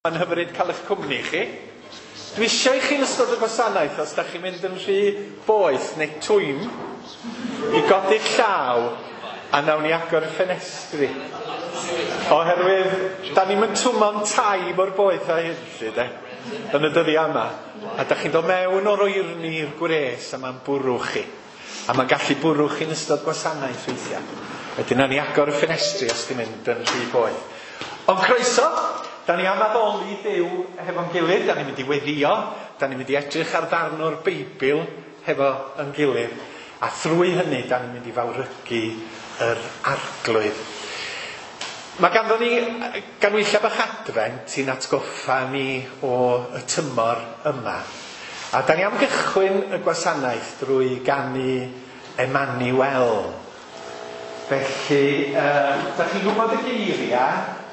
Mae'n hyfryd cael eich cwmni chi. Dwi eisiau i chi'n ystod y gwasanaeth, os da chi'n mynd yn rhy boeth neu twym, i godi'ch llaw a nawn ni agor y ffenestri. Oherwydd, da ni'n mynd twmo'n tai mor boeth a hyn, lly, de, yn y dyddiau yma. A da chi'n dod mewn o'r oerni i'r gwres a mae'n bwrw chi. A mae'n gallu bwrw chi'n ystod gwasanaeth weithiau. Wedyn nawn ni agor y ffenestri os ti'n mynd yn rhy boeth. Ond croeso, da ni am addoli Duw hefo'n gilydd, da ni'n mynd i weddio, da ni'n mynd i edrych ar ddarn o'r Beibl hefo yn gilydd, a thrwy hynny da ni'n mynd i fawrygu yr Arglwydd. Mae ganddo ni ganhwyllau bach Adfent i'n atgoffa ni o y tymor yma. A da ni am gychwyn y gwasanaeth drwy ganu Emmanuel. Felly, da chi'n gwybod y geiriau,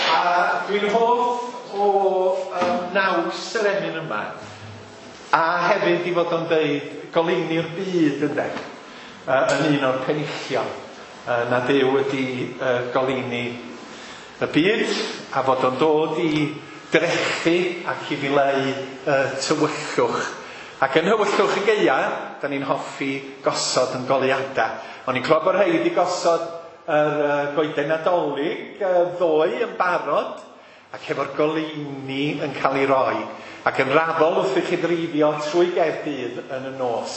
a dwi'n hoff o naws yr emyn yma, a hefyd i fod o'n deud goleuni'r byd, ynde, yn un o'r penillion, na Duw ydi goleuni y byd, a fod o'n dod i drechu ac i ddileu y tywyllwch. Ac yn nhywyllwch y gaea, da ni'n hoffi gosod yn goleuadau. O'n i'n clywed bod rhai wedi gosod yr goeden Nadolig ddoe yn barod, ac efo'r goleuni yn cael ei roi. Ac yn raddol wrth i chi ddreifio trwy Gaerdydd yn y nos,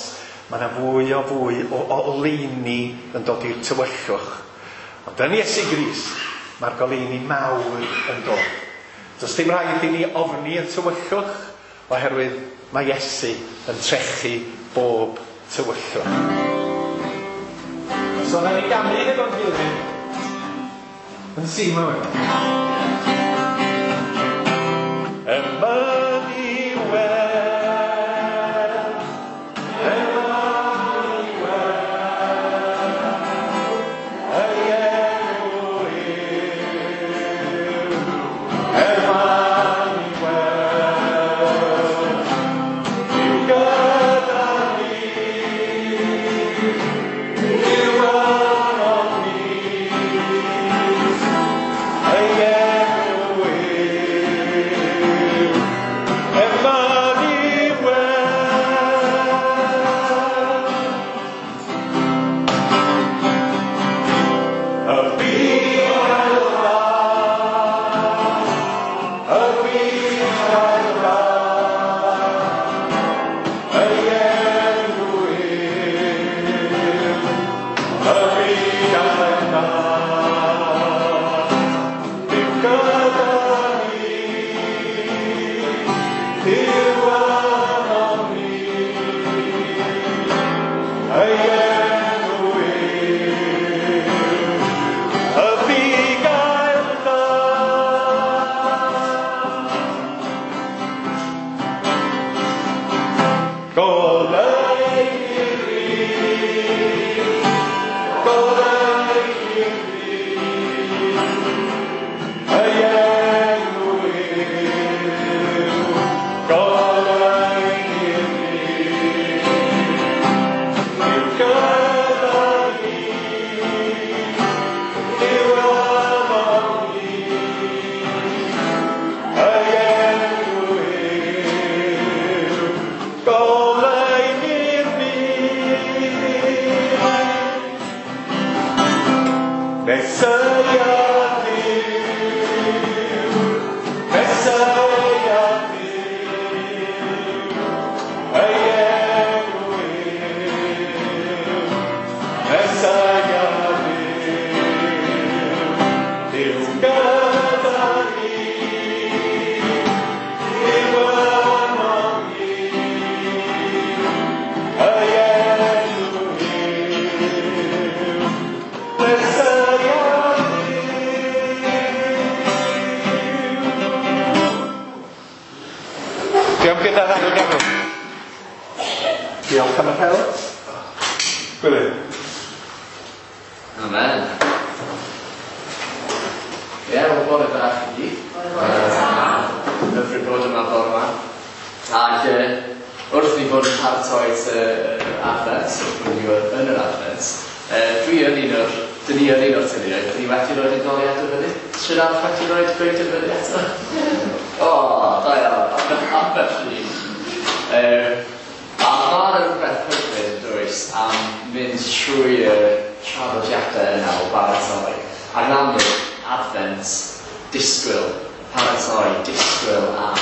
mae yna fwy o fwy o oleuni yn dod i'r tywyllwch. Ond yn Iesu Grist, mae'r goleuni mawr yn dod. Does dim rhaid i ni ofni y tywyllwch, oherwydd mae Iesu yn trechu bob tywyllwch. So, na ni ganu hefo'n gilydd yn sîm yma. Emmanuel, Emmanuel, ei enw yw Emmanuel, Duw gyda ni, Duw ynom ni, ei enw yw Emmanuel. Y bugail da, y bugail da, ei enw yw y bugail da. Duw gyda ni, Duw ynom ni, ei enw yw y bugail da. Goleuni'r byd, goleuni'r byd, ei enw yw goleuni'r byd. Duw gyda ni, Duw ynom ni, ei enw yw goleuni'r byd. Meseia Duw, Meseia Duw, ei enw yw Meseia Duw. Duw gyda ni, Duw ynom ni, ei enw yw Meseia Duw. Diolch gyda rhan o'r enw. Diolch am y help. Gwilym. Amen. Ie, wel, bore da chi gyd. Hyfryd bod yma bore yma. Ac wrth ni fod yn paratoi at yr Advent, wrth bod ni yn yr Advent, dwi yn un o'r, dyn ni yn un o'r teuluoedd, dyn ni wedi rhoi ein goleuadau fyny. Sy'n arall wedi rhoi goeden fyny eto? O, da iawn, ambell un. A mae 'na rhywbeth hyfryd, yn does, am mynd trwy y traddodiadau yna o baratoi. Ac yn amlwg, Advent, disgwyl, paratoi, disgwyl am.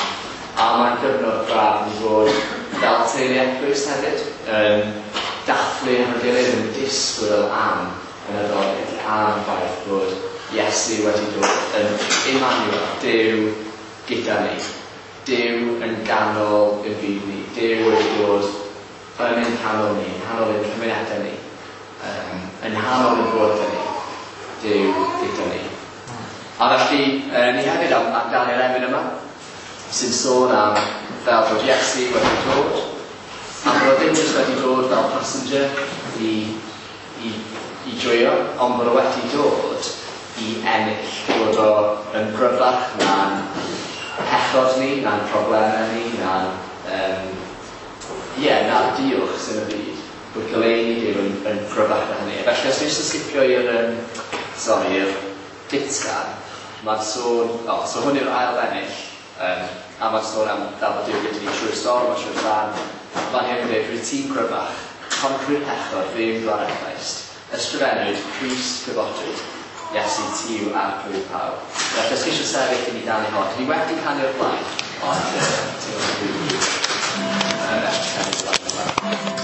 A mae'n gyfnod braf i fod fel teulu eglwys hefyd, yn dathlu efo'n gilydd, yn disgwyl am y Nadolig, am ffaith bod Iesu wedi dod yn Emmanuel, Duw gyda ni. Duw yn ganol ein byd ni. Duw wedi dod yn ein canol ni, yn nghanol ein cymunedau ni, yn nghanol ein bywydau ni. Duw gyda ni. A felly, ni hefyd am ganu'r emyn yma, sy'n sôn am fel bod Iesu wedi dod, a bod o ddim jyst wedi dod fel passenger i joio, ond bod o wedi dod i ennill, bod o yn gryfach na'n pechod ni, na'n problemau ni, na'n ie, na'r duwch sy'n y byd. Bod goleuni Duw yn gryfach na hynny. Felly, os dwi jyst yn sgipio i'r, sorry, i'r gytgan, mae'n sôn, oh, so hwn yw'r ail bennill, a mae'n sôn am fel bod Duw gyda ni trwy'r storm a trwy'r tân. Fan hyn yn dweud, rwyt ti'n gryfach, concrwy'r pechod, fe'm gwaredaist. Ysgrifennwyd, Crist gyfodwyd, Iesu ti yw arglwydd pawb. Felly, os chi eisiau sefyll i ni ganu hon, ni wedi canu o'r blaen, ond ti'n gwybod canu o'r blaen.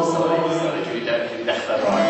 Sorry, sorry, dwi wedi dechrau wrong.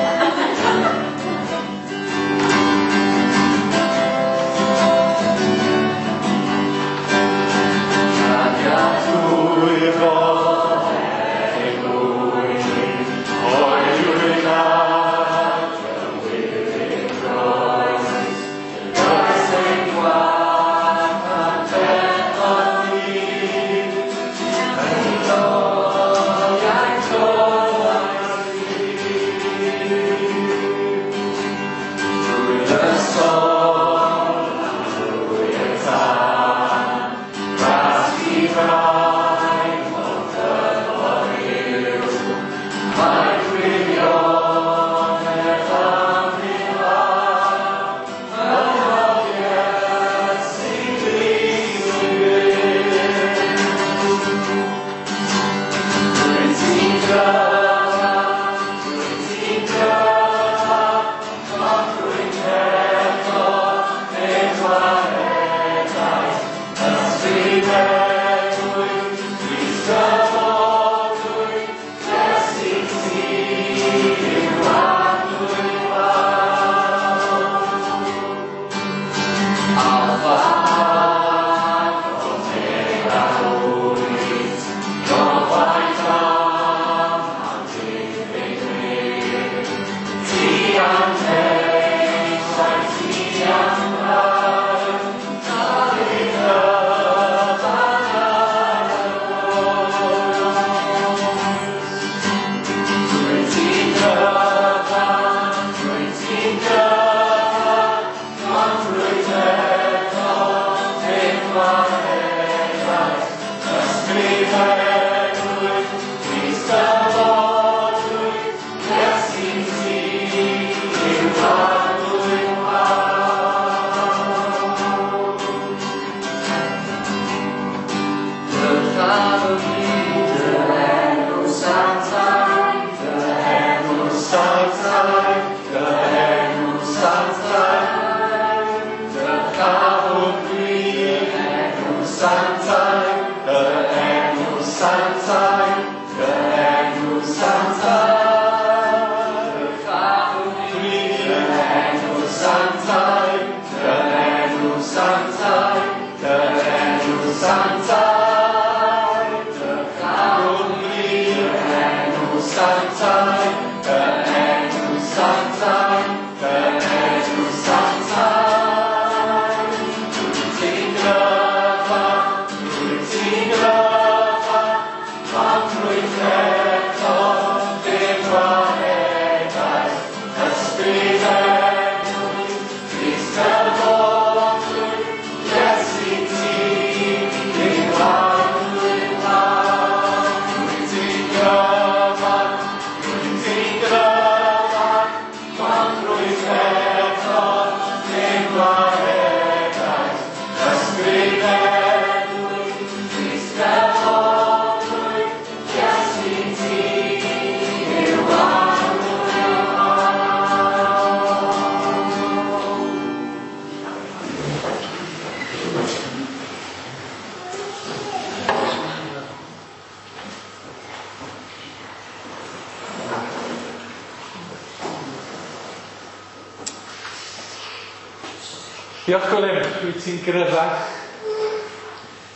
Diolch Gwilym, dwi ti'n gryfach.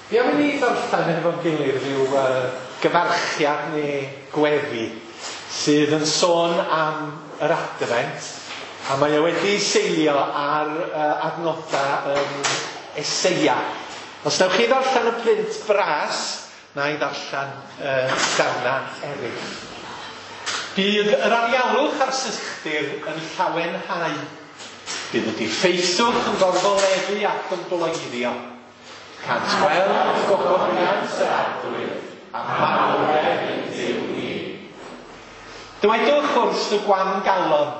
Fi am i ni ddarllen efo'n gilydd rhyw gyfarchiad neu gweddi sydd yn sôn am yr Adfent, a mae o wedi seilio ar adnodau yn Eseia. Os newch chi ddarllen y print bras, na i ddarllen darnau eraill. Bydd yr anialwch a'r sychdir yn llawenhau. Bydd y diffeithwch yn gorfoleddu ac yn bloeddio. Cant gweld gogoniant yr Arglwydd a mawredd ein Duw ni. Dywedwch wrth y gwan galon,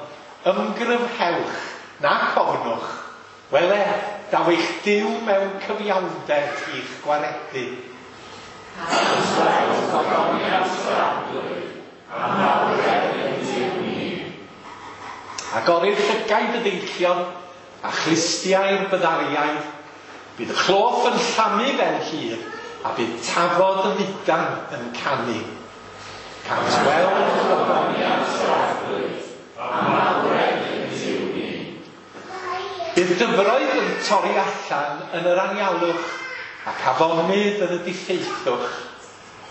ymgryfhewch, nac ofnwch. Wele, daw eich Duw mewn cyfiawnder i'ch gwaredu. Cant gweld gogoniant yr Arglwydd a mawredd ein Duw ni. Agorir llygaid y deillion a chlustiau'r byddariaid. Bydd y cloff yn llamu fel hir, a bydd tafod y mudan yn canu. Cant weld gogoniant yr Arglwydd, a mawredd ein Duw ni. Bydd dyfroedd yn torri allan yn yr anialwch, ac afonydd yn y diffeithwch.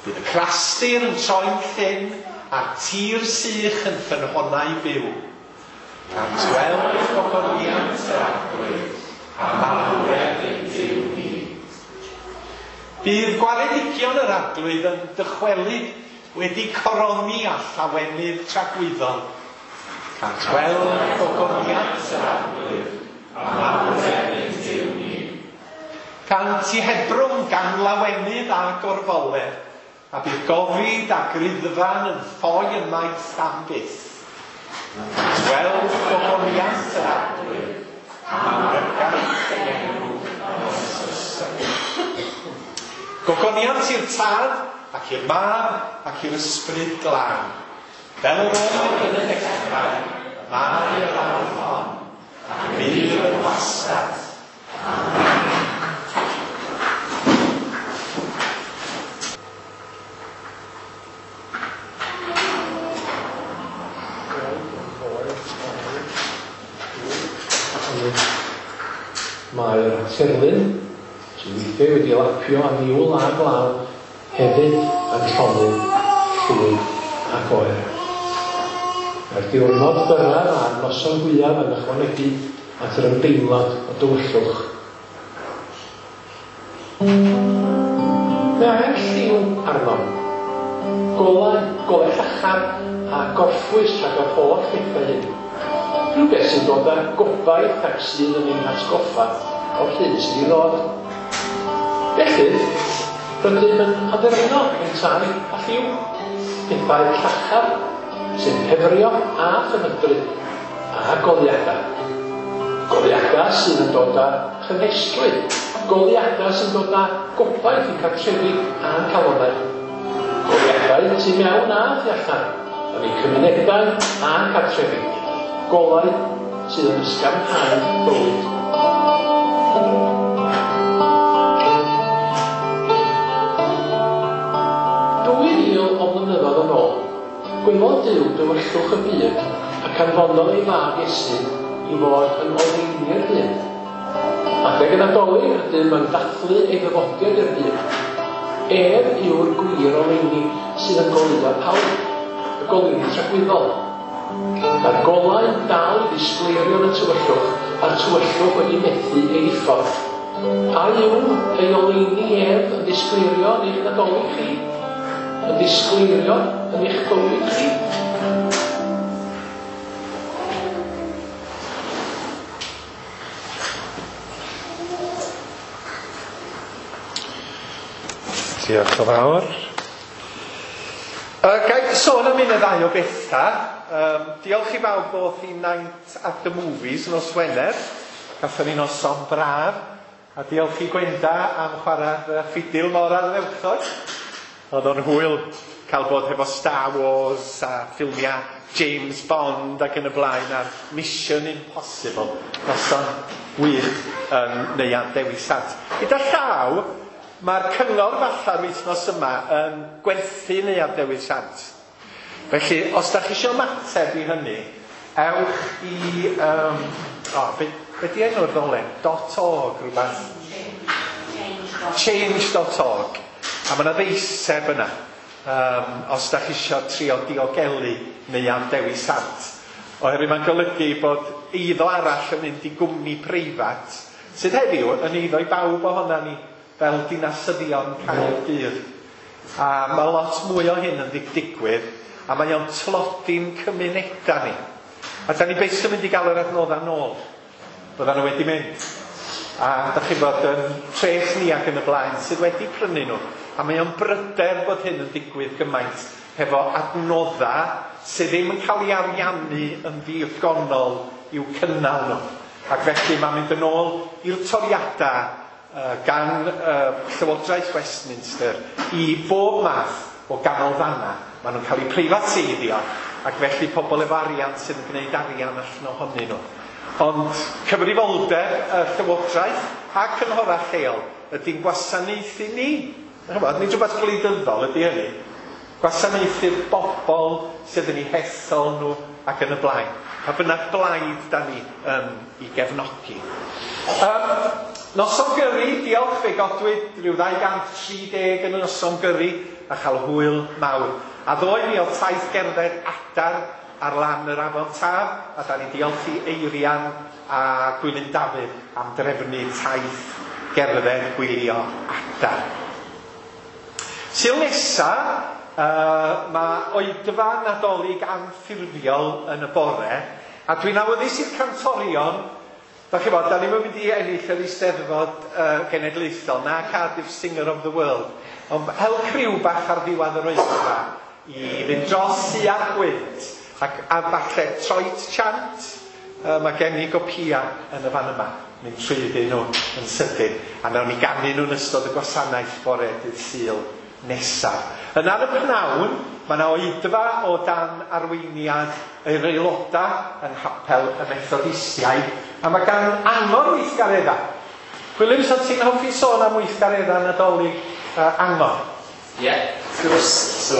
Bydd y crastir yn troi'n llyn, a'r tir sych yn ffynhonnau byw. Cant weld gogoniant yr Arglwydd, a mawredd ein Duw ni. Bydd gwaredigion yr Arglwydd yn dychwelyd wedi coroni a llawenydd tragwyddol. Cant weld gogoniant yr Arglwydd, a mawredd ein Duw ni. Cant i hebrwng gan lawenydd a gorfoledd, a bydd gofid a griddfan yn ffoi ymaith am byth. Cant weld gogoniant yr Arglwydd, a mawredd ei enw yn oes. Gogoniant i'r Tad, ac i'r Mab, ac i'r Ysbryd Glân. Fel yr oedd yn y dechrau, mae yr awr hon, ac y bydd yn wastad. Amen. Mae'r tirlun, sydd weithiau wedi lapio â niwl a glaw, hefyd yn llonydd, llwyd ac oer. Mae'r diwrnod byrraf a'r noson fwyaf yn ychwanegu at yr ymdeimlad o dywyllwch. Mae angen lliw arno. Golau, golau llachar a gorffwys rhag yr holl bethau hyn. Rhywbeth sy'n dod â gobaith ac sydd yn ein hatgoffa o'r hyn sydd i ddod. Felly, rydym yn addurno ein tai â lliw, pethau llachar sy'n pefrio a phymydru, a goleuadau. Goleuadau sydd yn dod â chynhesrwydd, goleuadau sy'n dod â gobaith i'n cartrefi a'n calonnau. Goleuadau tu mewn a thu allan, yn ein cymunedau a'n cartrefi. Golau sydd yn ysgafnhau bywyd. 2000 o flynyddoedd yn ôl, gwelodd Duw dywyllwch y byd ac anfonodd ei fab Iesu i fod yn oleuni'r byd. Adeg y Nadolig rydym yn dathlu ei ddyfodiad i'r byd. Ef yw'r gwir oleuni sydd yn goleuo pawb, y goleuni tragwyddol. Mae'r golau yn dal i ddisgleirio yn y tywyllwch, a'r tywyllwch wedi methu ei ddiffodd. A yw ei oleuni ef yn ddisgleirio yn eich Nadolig chi? Yn ddisgleirio yn eich bywyd chi? Diolch yn fawr. Ga i sôn am un neu ddau o bethau. Diolch i bawb ddoth i Night at the Movies nos Wener. Gathon ni noson braf. A diolch i Gwenda am chwarae'r ffidil mor ardderchog. Oedd o'n hwyl cael bod hefo Star Wars a ffilmiau James Bond ac yn y blaen a'r Mission Impossible. Noson wych yn Neuadd Dewi Sant. Gyda llaw, mae'r cyngor falla'r wythnos yma yn gwerthu Neuadd Dewi Sant. Felly, os da chi eisiau ymateb i hynny, ewch i... be di enw'r ddolen? .org rhywbeth? Change.org. A mae yna ddeiseb yna. Os da chi eisiau trio diogelu Neuadd Dewi Sant. Oherwydd mae'n golygu bod eiddo arall yn mynd i gwmni preifat, sydd heddiw yn eiddo i bawb ohona ni fel dinasyddion Caerdydd. A mae lot mwy o hyn yn digwydd, a mae o'n tlodi'n cymunedau ni. A da ni byth yn mynd i gael yr adnoddau nôl. Byddan nhw wedi mynd. A da chi bod yn treth ni ac yn y blaen sydd wedi prynu nhw. A mae o'n bryder bod hyn yn digwydd gymaint hefo adnoddau sydd ddim yn cael ei ariannu yn ddigonol i'w cynnal nhw. Ac felly mae'n mynd yn ôl i'r toriadau gan Llywodraeth Westminster i bob math o ganolfannau. Maen nhw'n cael eu preifateiddio, ac felly pobl efo arian sydd yn gwneud arian allan ohonyn nhw. Ond cyfrifoldeb y Llywodraeth a cynghorau lleol ydy'n gwasanaethu ni. Ch'mod, nid rhywbeth gwleidyddol ydy hynny. Gwasanaethu'r bobl sydd yn eu hethol nhw ac yn y blaen. Pa bynnag blaid da ni yn ei gefnogi. Noson gyrru, diolch, fe godwyd rhyw 230 yn y noson gyrru a chael hwyl mawr. A ddoe mi oedd taith gerdded adar ar lan yr afon Taf, a da ni diolch i Eirian a Gwilym Dafydd am drefnu taith gerdded gwylio adar. Sul nesa, mae oedfa Nadolig anffurfiol yn y bore, a dwi'n awyddus i'r cantorion, da chi bod, da ni'm yn mynd i ennill yr Eisteddfod Genedlaethol, na Cardiff Singer of the World, ond hel criw bach ar ddiwedd yr oedfa i fynd dros Iar Gwynt, ac a falle troet chant, mae gen i gopia yn y fan yma, mynd trwyddyn nhw yn sydyn, a nawn ni ganu nhw'n ystod y gwasanaeth bore dydd Sul nesaf. Yn ar y pnawn, mae yna oedfa o dan arweiniad yr aelodau yng Nghapel y Methodistiaid, a mae gan Angor weithgareddau. Gwilym, so ti'n hoffi sôn am weithgareddau Nadolig Angor? Ie, yeah, wrth gwrs. So,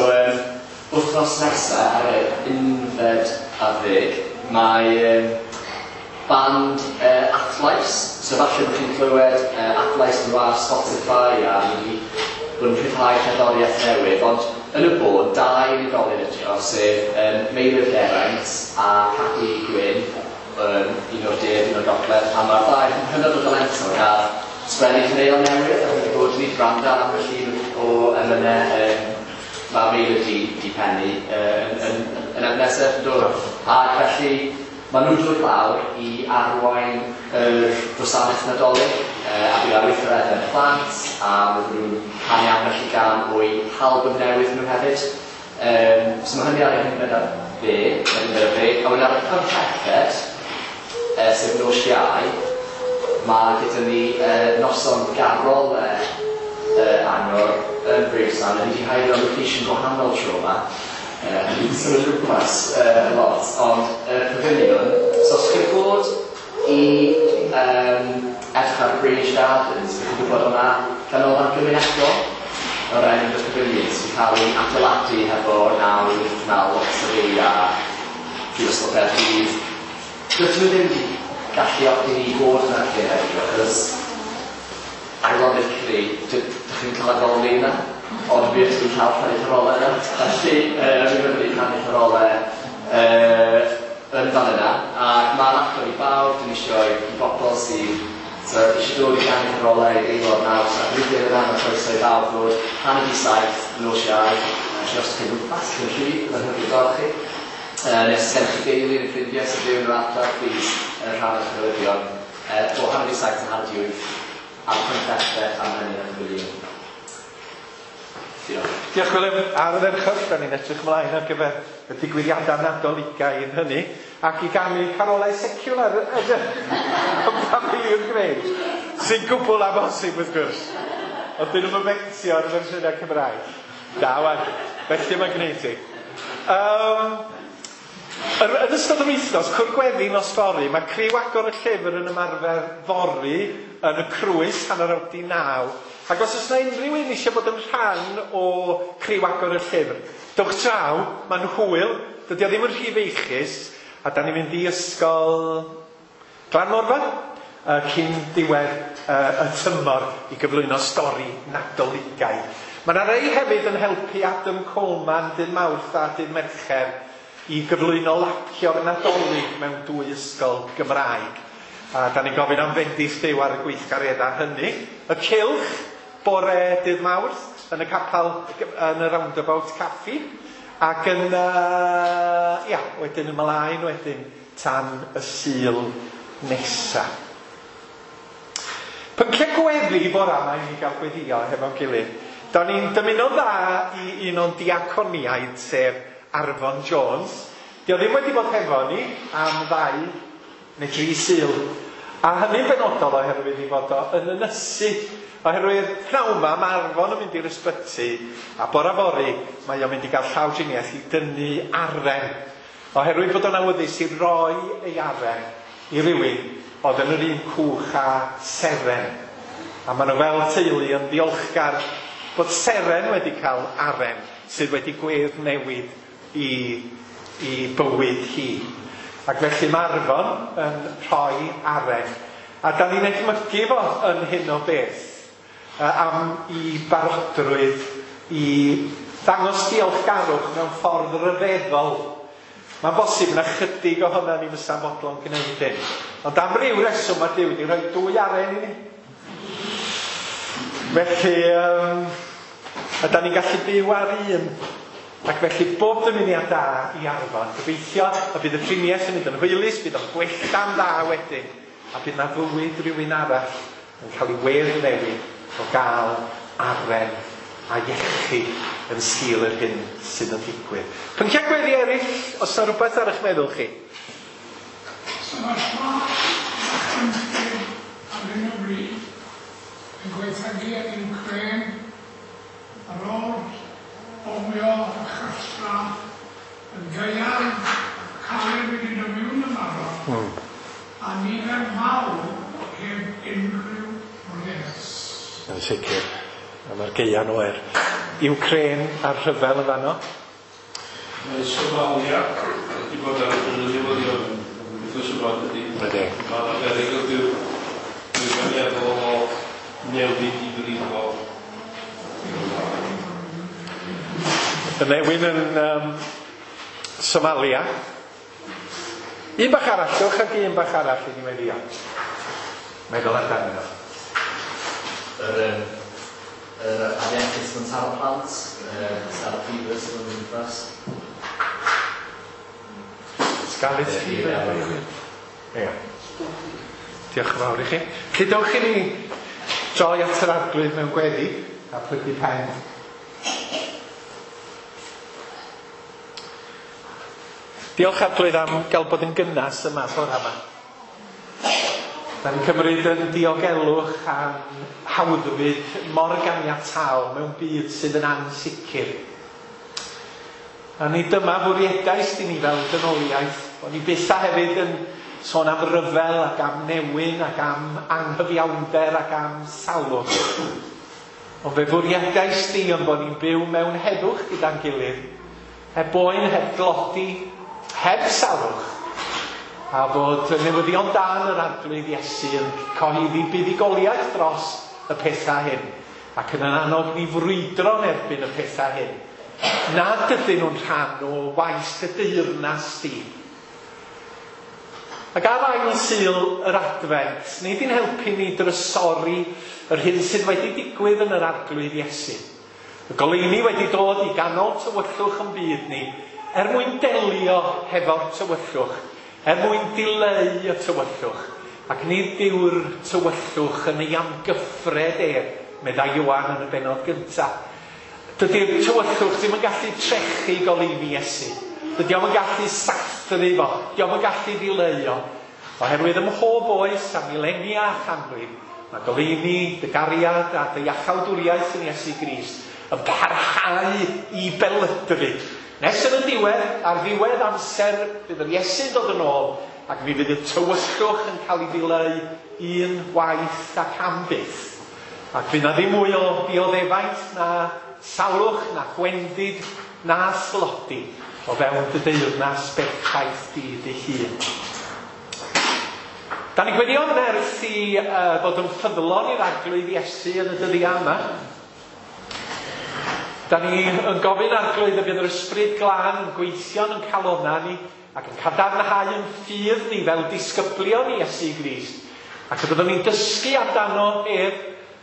wythnos nesaf, ar y 11, mae band Atlas. So falle bod chi'n clywed Atlas yn ar Spotify a ni bod yn rhyddhau cerddoriaeth newydd, ond yn y bôn, dau unigolyn ydi o, sef Meilir Geraint a Cadi Gwyn, un o'r de, un o'r gogledd, a mae'r ddau yn hynod o dalentog ar sgwennu caneuon newydd, a wedi bod yn ei gwrando ar ambell un o emynau mae Meilir di pennu yn Ebenezer, yn dod. Ac felly, maen nhw'n dod lawr i arwain yr gwasanaeth Nadolig, a bydd ar weithgareddau plant, a bydden nhw'n canu ambell i gân o'i halbwm newydd nhw hefyd. So mae hynny ar y 11, a wedyn ar y 15, sef nos Iau, mae gyda ni noson garol Angor yn Bridgetown, a ni wedi haelio location gwahanol tro yma. Ni'n symud o gwmpas lot, ond pavilion. So os chi'n bod i edrych ar Grange Gardens, chi'n gwybod o'na ganolfan gymunedol o'r enw The Pavilion sy'n cael ei adeiladu hefo nawdd fel lottery a Prifysgol Caerdydd. Dydyn nhw ddim wedi galluogi ni bod yna lle heddiw, achos ironically, dych chi'n cael addoli yna, ond fi ydych chi'n cael rhannu carolau yna. Felly, fi wedi rhannu carolau yn fan yna, ac mae'n agor i bawb, dyn ni eisiau i bobl sydd eisiau dod i rhannu carolau i aelod naws, a dwi ddim yna, mae croeso i bawb ddod 6:30 nos Iau, felly os ydych chi'n gwmpas, chi'n rhy, byddai'n hyfryd gweld chi. Neu os gennych chi deulu neu ffrindiau sy'n byw yn yr ardal, please, rhannwch newyddion. O 6:30 a 7:30, a'r 15 am hynny yn y pavilion. Diolch. Diolch Gwilym. Ar yr erchyll, da ni'n edrych ymlaen ar gyfer y digwyddiadau Nadoligaidd yn hynny, ac i ganu carolau secular yn y Pavilion Grange, sy'n gwbl amhosib wrth gwrs. Ond dyn nhw'n metio ar y fersiynau Cymraeg. Da, wan. Felly mae'n gwneud i. Yn ystod yr wythnos, cwr gweddi nos fory, mae criw agor y llyfr yn ymarfer fory yn y Crwys, 9:30. Ac os oes yna unrhyw un eisiau bod yn rhan o criw agor y llyfr, dewch draw, mae'n hwyl, dydy o ddim yn rhy feichus, a da ni'n mynd i ysgol Glan Morfa, cyn diwedd y tymor i gyflwyno stori Nadoligaidd. Mae yna rei hefyd yn helpu Adam Coleman dydd Mawrth a dydd Mercher i gyflwyno lapio'r Nadolig mewn dwy ysgol Gymraeg. A da ni'n gofyn am fendith Duw ar y gweithgareddau hynny. Y Cylch, bore dydd Mawrth, yn y capel, yn y Roundabout Caffi. Ac yn, ia, wedyn ymlaen wedyn tan y Sul nesa. Pynciau gweddi bora yma i ni gael gweddio hefo'n gilydd. Da ni'n dymuno dda i un o'n diaconiaid, sef Arfon Jones. Dio ddim wedi bod hefo ni am 2 neu 3 Sul. A hynny'n benodol oherwydd i fod o yn ynysu. Oherwydd pnawn 'ma mae Arfon yn mynd i'r ysbyty a bora fory mae o'n mynd i gael llawdriniaeth i dynnu aren. Oherwydd bod o'n awyddus i roi ei aren i rywun oedd yn yr un cwch â Seren. A maen nhw fel teulu yn ddiolchgar bod Seren wedi cael aren sydd wedi gwedd newid i bywyd hi. Ac felly mae Arfon yn rhoi aren. A da ni'n edmygu fo yn hyn o beth am i barodrwydd i ddangos diolchgarwch mewn ffordd ryfeddol. Mae'n bosib na chydig ohono ni fysa'n fodlon gwneud hyn. Ond am ryw reswm mae Duw wedi rhoi 2 aren i ni. Felly, a da ni'n gallu byw ar un. Ac felly bob dymuniad da i Arfon. Gobeithio y bydd y triniaeth yn mynd yn hwylus, bydd o'n gwella'n dda wedyn, a bydd na fywyd rhywun arall yn cael ei wedd newid o gael aren a iechyd yn sgil yr hyn sydd yn digwydd. Pynciau gweddi eraill, os yna rhywbeth ar eich meddwl chi? Sefyllfa cynllun ar hyn o bryd yn gweithredu yn Ukraine ar ôl bomio a chystra yn gaeaf cael wedi dod mewn yn barod a nifer mawr heb unrhyw wres. Yn sicr. A mae'r gaea'n oer. Ukraine a'r rhyfel yn fanno. Mae Somalia wedi bod ar y newyddion wythnos yma, dydy. Ydy. Mae yna berygl byw wirioneddol o newid difrifol. Y newyn yn Somalia. Un bach arall, dewch ag un bach arall i ni weddio. Meddwl amdano fo. Yr afiechyd sydd yn taro plant, Scarlet Fever sydd yn gwmpas. Scarlet Fever. Ie. Diolch yn fawr i chi. Felly dewch i ni droi at yr Arglwydd mewn gweddi a plygu pen. Diolch Arglwydd am gael bod yn gynnas yma bore yma. Da ni'n cymryd yn diogelwch a'n hawddfyd mor ganiataol mewn byd sydd yn ansicr. A ni dyma fwriedais di ni fel dynoliaeth. O'n i byth a hefyd yn sôn am ryfel ac am newyn ac am anghyfiawnder ac am salwch. Ond fe fwriedais di yn bod ni'n byw mewn heddwch gyda'n gilydd, heb boen, heb dlodi, heb salwch. A bod y newyddion da yn yr Arglwydd Iesu yn cyhoeddi buddugoliaeth dros y pethau hyn, ac yn annog ni frwydro yn erbyn y pethau hyn. Nad ydyn nhw'n rhan o waith y deyrnas di. Ac ar ail Sul yr Adfent, nid i'n helpu ni drysori yr hyn sydd wedi digwydd yn yr Arglwydd Iesu. Y goleuni wedi dod i ganol tywyllwch yn byd ni, er mwyn delio hefo'r tywyllwch, er mwyn dileu y tywyllwch, ac nid yw'r tywyllwch yn ei amgyffred ef, meddai Ioan yn y bennod gyntaf. Dydy'r tywyllwch ddim yn gallu trechu goleuni Iesu. Dydy o'm yn gallu sathru fo, dydy o'm yn gallu ddileu o. Oherwydd ym mhob oes a milenia a chanrif, mae goleuni, dy gariad a dy iachawdwriaeth yn Iesu Grist yn parhau i belydru. Nes yn y diwedd, ar ddiwedd amser, bydd yr Iesu'n dod yn ôl, ac mi fydd y tywyllwch yn cael ei ddileu un waith ac am byth. Ac fydd na ddim mwy o ddioddefaint na salwch, na gwendid, na thlodi o fewn dy deyrnas berffaith di dy hun. Da Da ni'n gweddio nerth i fod yn ffyddlon i'r Arglwydd Iesu yn y dyddiau yma. Da ni yn gofyn Arglwydd y bydd yr Ysbryd Glân yn gweithio yn calonna ni ac yn cadarnhau yn ffydd ni fel disgyblion i Iesu Grist. Ac y byddwn ni'n dysgu amdano ef,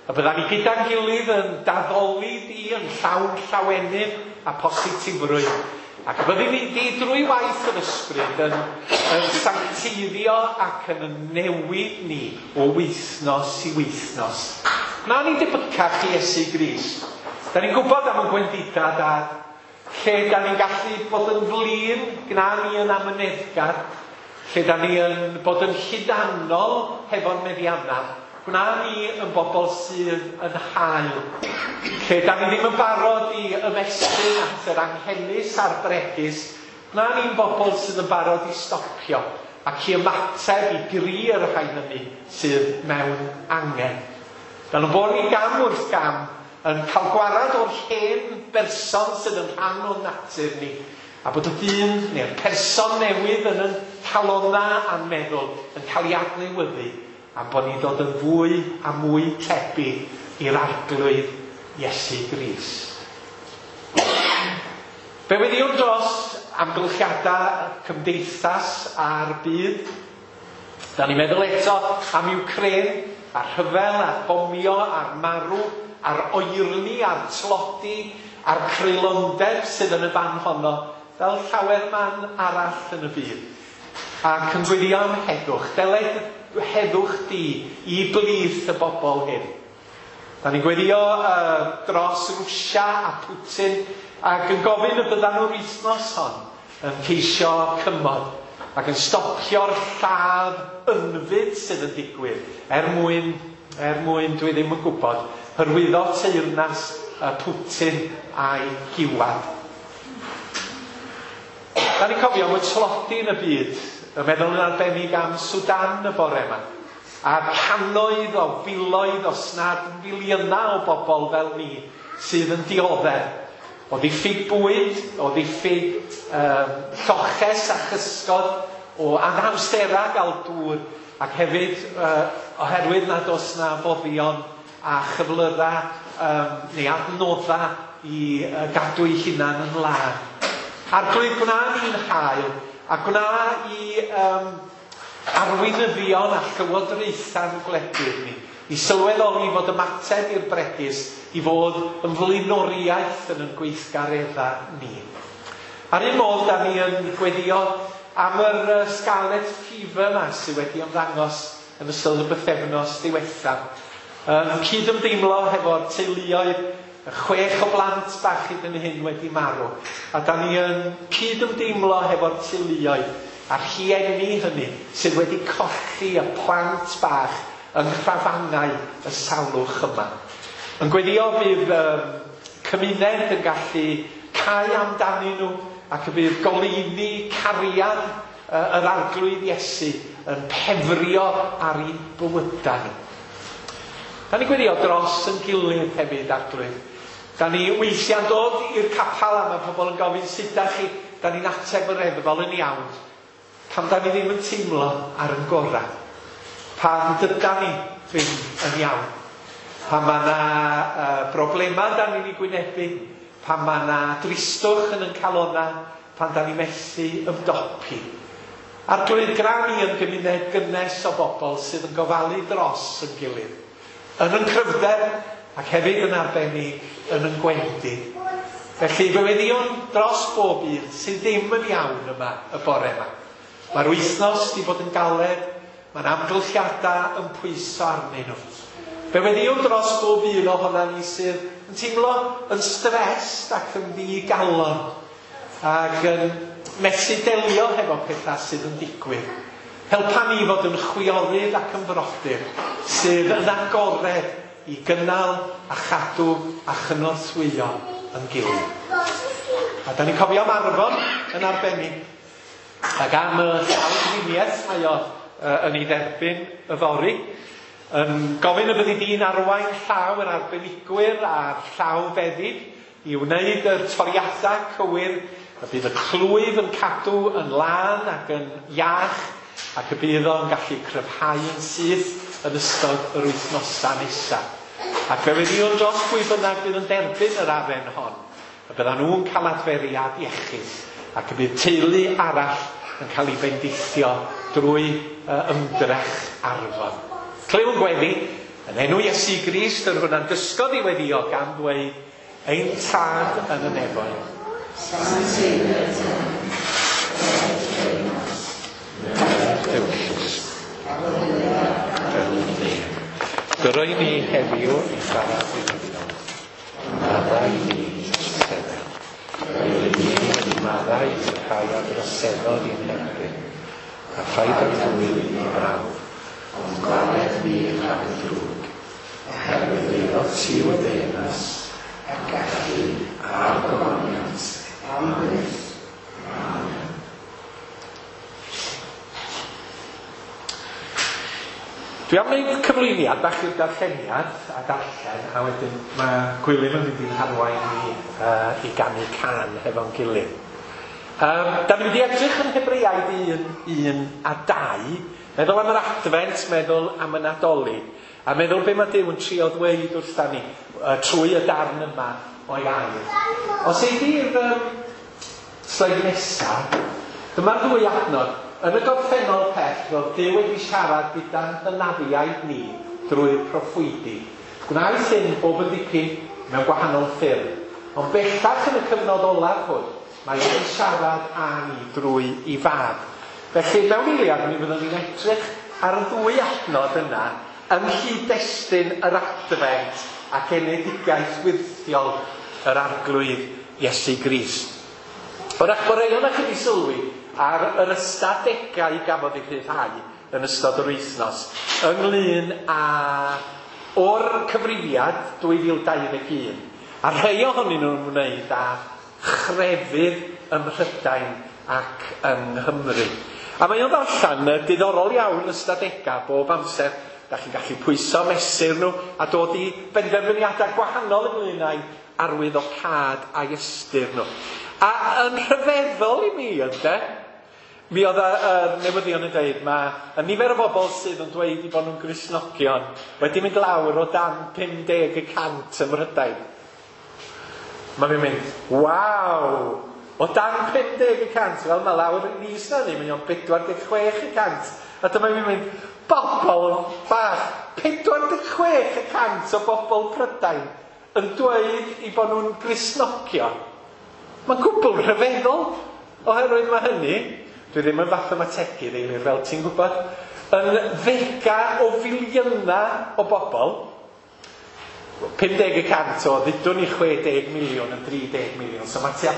y byddwn ni gyda'n gilydd yn daddoli di yn llawn llawenydd a positifrwydd. Ac y byddwn ni di drwy waith yr Ysbryd yn sancteiddio ac yn newid ni o wythnos i wythnos. Gwna ni'n debycach i Iesu Grist. Da ni'n gwybod am y gwendidau da, lle da ni'n gallu bod yn flin, gwna ni yn amyneddgar, lle da ni yn bod yn hunanol hefo'n meddiannau, gwna ni yn bobl sydd yn hael, lle da ni ddim yn barod i ymestyn at yr anghenus a'r bregus, gwna ni'n bobl sydd yn barod i stopio ac i ymateb i gri yr rhai hynny sydd mewn angen. Fel yn bod ni gam wrth gam yn cael gwarad o'r hen berson sydd yn rhan o'n natur ni, a bod y dyn neu'r person newydd yn yn calonna a'n meddwl yn cael ei adnewyddu, a bod ni'n dod yn fwy a mwy tebyg i'r Arglwydd Iesu Grist. Fe weddïwn dros amgylchiadau cymdeithas a'r byd. Da ni'n meddwl eto am Ukraine, a'r rhyfel, a'r bomio, a'r marw, a'r oerni, a'r tlodi, a'r creulondeb sydd yn y fan honno, fel llawer man arall yn y byd. Ac yn gweddio am heddwch, deled heddwch di i blith y bobl hyn. Da ni'n gweddio dros Rwsia a Putin, ac yn gofyn y byddan nhw'r wythnos hon yn ceisio cymod ac yn stopio'r lladd ynfyd sydd yn digwydd er mwyn, dwi ddim yn gwybod, hyrwyddo teyrnas Putin a'i giwad. Da ni'n cofio am y tlodi yn y byd, yn meddwl yn arbennig am Sudan y bore yma, a'r cannoedd o filoedd, os nad miliynau o bobl fel ni sydd yn dioddef o ddiffyg bwyd, o ddiffyg lloches a chysgod, o anhawsterau gael dŵr, ac hefyd oherwydd nad oes na foddion a chyflyrau neu adnoddau i gadw eu hunan yn lân. Arglwydd, gwna ni'n hael, a gwna i arweinyddion a llywodraethau'n gwledydd ni, i sylweddoli fod ymateb i'r bregus i fod yn flaenoriaeth yn ein gweithgareddau ni. Ar un modd, da ni yn gweddio am yr Scarlet Fever yma sydd wedi ymddangos yn ystod y bythefnos diwethaf. Yn cydymdeimlo hefo'r teuluoedd, y 6 o blant bach hyd yn hyn wedi marw. A da ni yn cydymdeimlo hefo'r teuluoedd a'r rhieni hynny sydd wedi colli y plant bach yng nghrafangau y salwch yma. Yn gweddio bydd cymuned yn gallu cau amdanyn nhw, ac y bydd goleuni cariad yr Arglwydd Iesu yn pefrio ar eu bywydau nhw. Da ni'n gweddio dros yn gilydd hefyd, Arglwydd. Da ni weithiau'n dod i'r capel a mae pobl yn gofyn sut da chi, da ni'n ateb yr reddfol yn iawn. Pam da ni ddim yn teimlo ar yn gorau? Pam dyda ni ddim yn iawn? Pam mae yna broblemau da ni'n ei gwynebu? Pam mae yna dristwch yn ein calonna? Pan da ni methu ymdopi? Arglwydd, gwna ni yn gymuned gynnes o bobl sydd yn gofalu dros yn gilydd, yn yn cryfder ac hefyd yn arbennig yn yn gwendid. Felly fe weddïwn dros bob un sydd ddim yn iawn yma y bore yma. Mae'r wythnos wedi bod yn galed, mae'n amgylchiadau yn pwyso arnyn nhw. Fe weddïwn dros bob un ohonan ni sydd yn teimlo yn stressed ac yn ddigalon ac yn methu delio hefo pethau sydd yn digwydd. Helpa ni fod yn chwiorydd ac yn frodyr sydd yn agored i gynnal a chadw a chynorthwyo yn gilydd. A da ni'n cofio am Arfon yn arbennig, ac am y llawdriniaeth mae o yn ei dderbyn yfory, yn gofyn y byddi di'n arwain llaw yr arbenigwyr a'r llaw feddyg i wneud yr toriadau cywir, y bydd y clwyf yn cadw yn lân ac yn iach, ac y bydd o'n gallu cryfhau yn syth yn ystod yr wythnosau nesaf. Ac fe weddïwn dros pwy bynnag bydd yn derbyn yr afen hon, y byddan nhw'n cael adferiad iechyd, ac y bydd teulu arall yn cael ei bendithio drwy ymdrech Arfon. Clywn gweddi, yn enw Iesu Grist, yr hwn a'n dysgodd i weddïo gan ddweud, Ein Tad yn y nefoedd. Sancteiddied dy enw, ded dy deyrnas, ded dy ewyllys, ar y ddaear fel yn y nef. Dyro i ni heddiw ein bara beunyddiol. Maddau i ni ein troseddau, fel yr ydym ni wedi maddau i'r rhai a droseddodd i'n herbyn. A phaid â dwyn i brawf, ond gwared ni rhag y drwg, oherwydd eiddo ti yw y deyrnas, y gallu, a'r gogoniant, am byth. Amen. Dwi am wneud cyflwyniad bach i'r darlleniad a darllen, a wedyn mae Gwilym yn mynd i'n harwain ni i ganu cân hefo'n gilydd. Da ni'n mynd i edrych yn Hebreaid 1, 1 a 2, meddwl am yr Adfent, meddwl am y Nadolig, a meddwl be mae Duw yn trio ddweud wrtha ni trwy y darn yma o'i air. Os ei di'r sleid nesaf, dyma'r ddwy adnod. Yn y gorffennol pell, roedd Duw wedi siarad gyda'n hynafiaid ni drwy'r proffwydi. Gwnaeth hyn bob yn dipyn mewn gwahanol ffyrdd. Ond bellach yn y cyfnod olaf hwn, mae wedi siarad â ni drwy ei fab. Felly, mewn eiliad, mi fyddwn ni'n edrych ar y ddwy adnod yna yng nghyd-destun yr Adfent ac enedigaeth wyrthiol yr Arglwydd Iesu Grist. Wrach bod rhai ohonoch chi wedi sylwi ar yr ystadegau gafodd eu rhyddhau yn ystod yr wythnos ynglyn â o'r cyfrifiad 2021, a rhai ohonyn nhw'n ymwneud â chrefydd ym Mhrydain ac yng Nghymru. A mae o'n ddarllen diddorol iawn ystadegau bob amser. Da chi'n gallu pwyso mesur nhw a dod i benderfyniadau gwahanol ynglyn â'i arwyddocâd a'i ystyr nhw. A yn rhyfeddol i mi, ynde, mi oedd y newyddion yn dweud mae y nifer o bobl sydd yn dweud i bod nhw'n Gristnogion wedi mynd lawr o dan 50% ym Mhrydain. Mae fi'n mynd, waw, o dan 50%, fel mae lawr yn is na ni, mae o'n 46%. A dyma fi'n mynd, bobl bach, 46% o bobl Prydain yn dweud i bod nhw'n Gristnogion. Mae'n gwbl rhyfeddol, oherwydd mae hynny, dwi ddim yn fathemategydd Eilir, fel ti'n gwybod, yn ddegau o filiynau o bobl, 50% o ddudwn i 60 miliwn yn 30 miliwn, so mae tua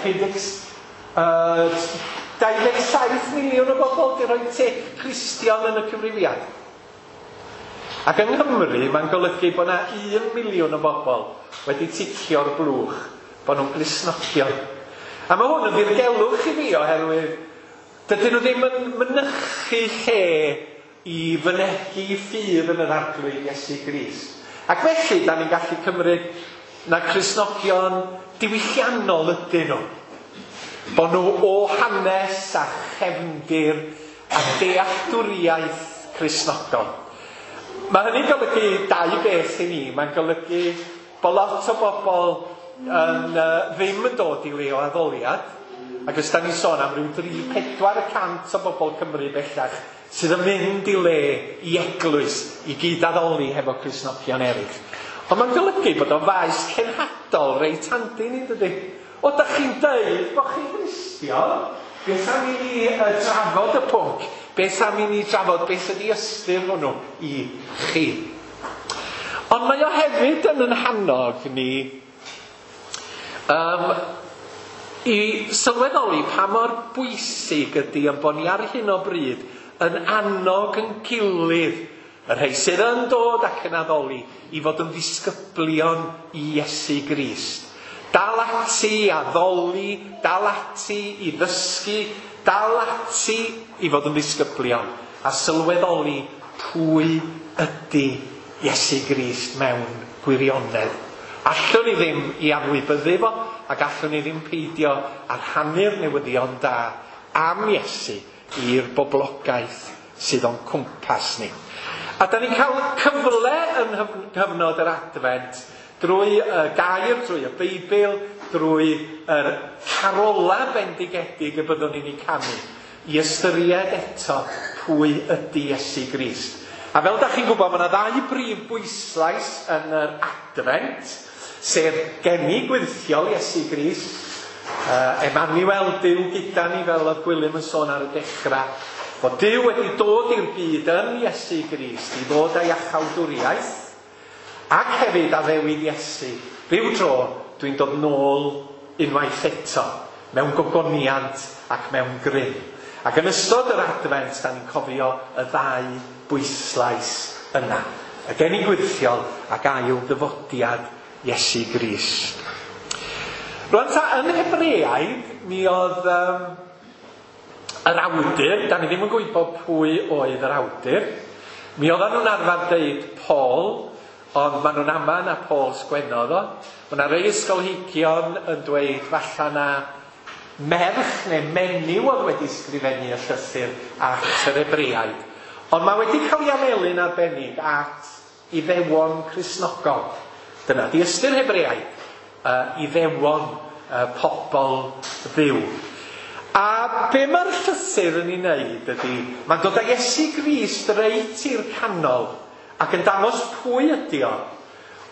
27 miliwn o bobl di rhoi tic Cristion yn y cyfrifiad. Ac yng Nghymru, mae'n golygu bod yna 1 miliwn o bobl wedi ticio'r blwch bod nhw'n Gristnogion. A mae hwn yn ddirgelwch i fi oherwydd dydyn nhw ddim yn mynychu lle i fynegi ffydd yn yr Arglwydd Iesu Grist. Ac felly, da ni'n gallu cymryd na Cristnogion diwylliannol ydyn nhw. Bod nhw o hanes a chefndir a dealltwriaeth Cristnogol. Mae hynny'n golygu dau beth i ni. Mae'n golygu bod lot o bobl yn ddim yn dod i le o addoliad, ac os da ni'n sôn am ryw 3-4% o bobl Cymru bellach sydd yn mynd i le i eglwys i gyd-addoli hefo Cristnogion eraill. Ond mae'n golygu bod o'n faes cenhadol reit handi ni, dydy? O, da chi'n deud bod chi'n Gristion? Beth am i ni drafod y pwnc? Beth am i ni drafod beth ydy ystyr hwnnw i chi? Ond mae o hefyd yn yn hannog ni i sylweddoli pa mor bwysig ydy yn bod ni ar hyn o bryd yn annog yn gilydd y rhai sydd yn dod ac yn addoli i fod yn ddisgyblion i Iesu Grist. Dal ati i addoli, dal ati i ddysgu, dal ati i fod yn ddisgyblion a sylweddoli pwy ydy Iesu Grist mewn gwirionedd. Allwn ni ddim i anwybyddu fo, ac allwn ni ddim peidio â rhannu'r newyddion da am Iesu i'r boblogaeth sydd o'n cwmpas ni. A da ni'n cael cyfle yng nghyfnod yr Adfent drwy y gair, drwy y Beibl, drwy yr carola bendigedig y byddwn ni'n ei canu, i ystyried eto pwy ydy Iesu Grist. A fel da chi'n gwybod, mae yna ddau brif bwyslais yn yr Adfent, sef geni gwyrthiol Iesu Grist, Emmanuel, Duw gyda ni, fel oedd Gwilym yn sôn ar y dechrau, fod Duw wedi dod i'r byd yn Iesu Grist i ddod â'i iachawdwriaeth, ac hefyd addewid Iesu. Rhyw dro, dwi'n dod nôl unwaith eto, mewn gogoniant ac mewn grym. Ac yn ystod yr Adfent, da ni'n cofio y ddau bwyslais yna. Y geni gwyrthiol ac ail ddyfodiad Iesu Grist. Rwan ta, yn Hebreaid, mi oedd yr awdur, da ni ddim yn gwybod pwy oedd yr awdur, mi oedden nhw'n arfer deud Paul, ond maen nhw'n ama na Paul sgwennodd o. Mae yna rei ysgolheigion yn dweud falla na merch neu menyw oedd wedi sgrifennu y llythyr at yr Hebreaid. Ond mae wedi cael ei anelu'n arbennig at Iddewon Cristnogol. Dyna di ystyr Hebreaid, Iddewon, pobl Dduw. A be mae'r llythyr yn ei wneud ydy, mae'n dod â Iesu Grist reit i'r canol ac yn dangos pwy ydy o.